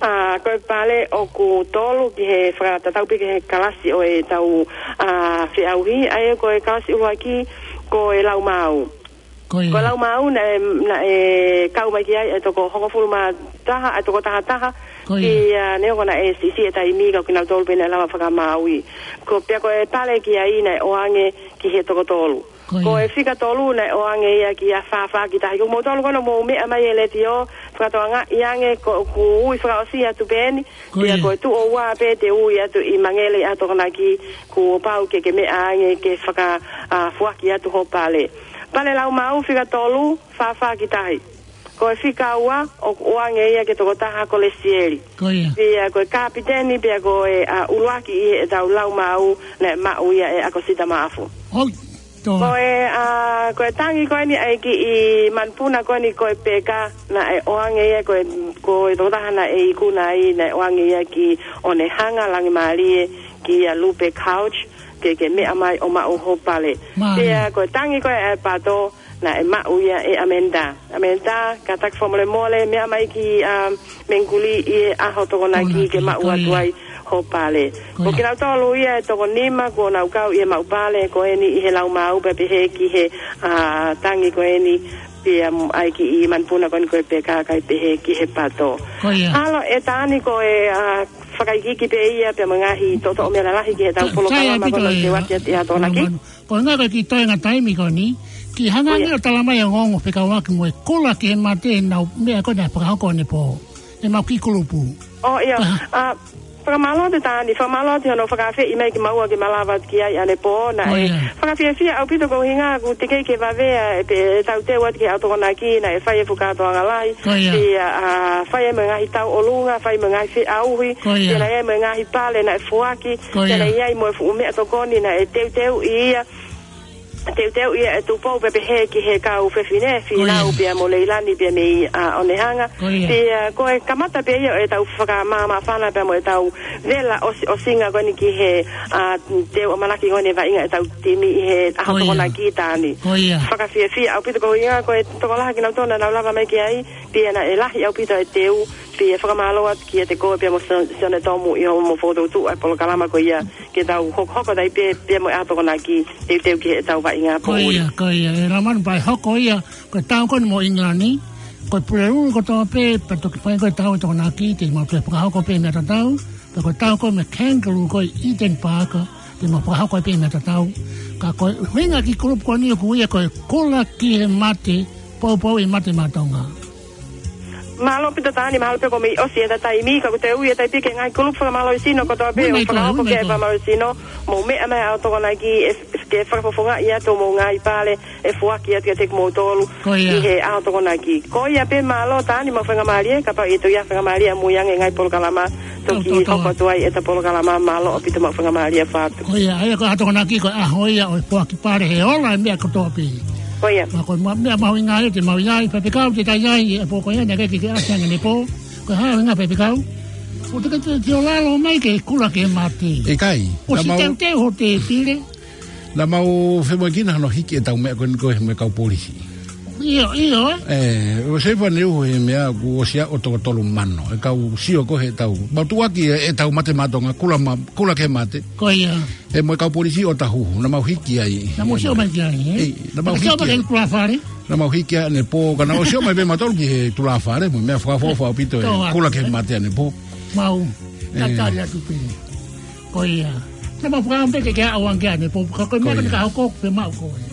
ʻa, ko e pale ʻoku tolu ki he fakatatau pē ki he kalasi ʻo ʻetau, ʻa, feʻauhi, ʻa ia ko e kalasi ʻuluaki ko e laumāu. Ko ia. Ko e laumāu naʻe, naʻe kau mai ki ai e toko hongofulu mā taha, e toko taha taha, Ko ia. pea neongo naʻe siʻisiʻi e taimi ka ko kinautolu pē naʻe lava fakamāuʻi. Ko pea ko e pale ki ai naʻe ʻoange ki he toko tolu. Ko Ko ia. e fika tolu naʻe ʻoange ia kia fā fā ki tahi. Ko moutolu ko ena mou meʻa mai he letiō, fakatokangaʻi ange ko ʻeku ui fakaʻosi atu pē eni, Ko pea ia. ko e tuʻo ua pē te u ui atu ʻi Mangele ʻi he ʻaho Tokonaki, kuo pau ke ke meʻa ange ke faka, ʻa, foaki atu ho pale. Pale laumāu fika tolu, fā fā ki tahi. Ko e fika ua, ʻoku ʻoange ia ki he tokotaha ko Lesieli. Ko ia. Pea ko e kapiteni, pea ko e, ʻa, ʻuluaki ʻi heʻetau laumāu naʻe maʻu ia ʻe ʻAkosita Maʻafu. Hoi, toa. Ko e, ʻa, ko e tangi ko eni ʻa e kiʻi manupuna ko eni ko e peka naʻe ʻoange ia ko e, ko e tokotaha naʻe ikuna ai naʻe ʻoange ia kia ʻOnehanga Langimālie kia Lupe Couch, ke ke meʻa mai ʻo maʻu ho pale. Mālie. Pea ko e tangi ko e ʻa e pato, naʻe maʻu ia ʻe ʻAmenda. ʻAmenda, kātaki fakamolemole, meʻa mai ki, ʻa, Mengikuli ʻi he ʻaho Tokonaki Tokonaki, ke maʻu ko atu ia. ai ho pale. Ko Ko ia. kinautolu ia e toko nima kuo nau kau ʻi he maʻu pale ko eni ʻi he laumāu pea pehē ki he, ʻa, tangi ko eni pea mo e kiʻi manupuna ko eni ko e peka kae pehē ki he pato. Ko ia. ʻAlo ʻe Tani ko e, ʻa, fakaikiiki pē ia pea mo e ngaahi toʻotoʻo meʻa lalahi ki heʻetau Ka-, polokalama ko ʻetau teuaki atu ʻi he ʻaho Tokonaki. Ko e ngaahi ko e kiʻi toenga taimi ko eni, kiʻi hanga Ko ia. ange ʻo talamai ʻa e ongoongo fekauʻaki mo e kola ki he mate ʻenau meʻa ko ena fakahoko ʻanepō. ʻEmau kiʻi kulupu. ʻŌ, ʻio. Aha. ʻA, fakamālō atu Tani, fakamālō atu hono fakaafeʻi mai kimaua ke malava atu ki ai ʻanepō, naʻe Ko ia. fakafiefia ʻaupito ko e ʻuhinga ʻoku teʻeki ke vave ʻa e pē ʻetau teu atu ki he ʻaho Tokonaki, naʻe fai e fuʻu kātoanga lahi, Ko ia. pea, ʻa, fai mo e ngaahi tauʻolunga, fai mo e ngaahi feʻauhi, Ko ia. pea naʻe mo e ngaahi pale naʻe foaki, Ko ia. pea naʻe ʻi ai mo e fuʻu meʻatokoni naʻe teuteuʻi ia, teuteuʻi ia ʻe Tupou pea pehē ki he kau fefine, Ko ia. Fīnau pea mo Leilani pea mei, ʻa, ʻOnehanga. Ko ia. Pea ko e kamata pē ia ʻo ʻetau fakamāmāfana pea mo ʻetau vela ʻosi, ʻosinga ko eni ki he, ʻa, teu ʻamanaki ko eni vaʻinga ʻetau timi ʻi he ʻaho Ko ia. Tokonaki Tani. Ko ia. Fakafiefia ʻaupito ko e ʻuhinga ko e tokolahi kinautolu naʻa nau lava mai ki ai, pea naʻe lahi ʻaupito e teu, pea fakamālō atu kiate koe pea mo Sio-, Sione Tomu ʻi hoʻomo fokotuʻutuʻu ʻa e polokalama ko ia, ke tau hokohoko atu ai pē, pea mo e ʻaho Tokonaki, teuteu ki heʻetau vaʻinga Ko ia, poʻuli. ko ia, ʻe Lamanu pea hoko ia, ko e tau ko eni mo ʻIngilani, ko e Pulelulu kotoa pē, pea toki fai ko e tau ʻa e Tokonaki, te mau toe fakahoko pē meʻa tatau, pea ko e tau ko ē mo e Kangaroo ko ē ʻi Eden Park, te mau fakahoko pē meʻa tatau. Ka ko e ʻuhinga kiʻi kulupu ko eni ʻoku ui ia ko e Kola ki he Mate, Poupou ʻi Mate Maʻa Tonga. Mālō ʻaupito Tani, mahalo pē kuo mei ʻosi ʻeta taimi, ka ʻoku te ui atu ai pē ki he ngaahi kulupu fakamālohisino kotoa pē, Ui mai ʻo koe, fakahoko ui mai ke koe. fakamālohisino, mou meʻa mai ʻaho Tokonaki, ʻe, ke fakafofongaʻi atu homou ngaahi pale, ʻe foaki atu kiate kimoutolu, Ko ia. ʻi he ʻaho Tokonaki. Ko ia pē mālō Tani, mau faingamālie, kapau ʻe toe ʻi ai ha faingamālie ʻamui ange ngaahi polokalama, toki Tau, tau, tau. hoko atu ai ʻeta polokalama, mālō ʻaupito mau faingamālie ʻo fai atu. Ko ia, ʻa ia ko e ʻaho Tokonaki ko e ʻaho ia ʻo e foaki pale he ola e meʻa kotoa pē. Ko ia. Ma ko e ma-, meʻa mahuʻinga ia te mau ʻi ai, faifekau te tau ʻi ai, ʻi he pō ko ia, naʻe ʻikai ke ke ʻasi ange ʻanepō. Ko e hā e ʻuhinga faifekau? ʻOku te ke te, te ʻalu mai ke Kola ki he Mate. ʻIkai, ʻOsi naʻa mau teuteu hoʻo tēpile. Naʻa mau femoʻuekina hono hiki ʻetau meʻa ko eni ko ē mo e kau polisi. ʻIo, ʻio, ē? ʻE, ʻoku sai fua ne uho he meʻa kuo ʻosi ʻa e toko tolu mano. ʻE kau sio ko ē heʻetau. Mau tuʻuaki ʻe, ʻetau Mate Maʻa Tonga, Kola ma-, Kola ki he Mate. Ko ia. ʻE mo e kau polisi ʻo Tahuhu, naʻa mau hiki ai. Naʻa mou sio mai ki ai, ē? ʻEi, naʻa mau Naʻa sio hiki mai ai. ki tulāfale? Naʻa mau hiki ai ʻanepō, ka naʻa mau sio mai pē mautolu ki he tulāfale, mo e meʻa fakaʻofoʻofa ʻaupito e Tau Kola ki he Mate ʻanepō. Mau, ʻE. tatali atu pē. Ko ia. Naʻa mau fakaʻamu pē ke ke aʻu ange ʻanepō, ka ko e meʻa Ko ia. ka hoko pē maʻu ko ē.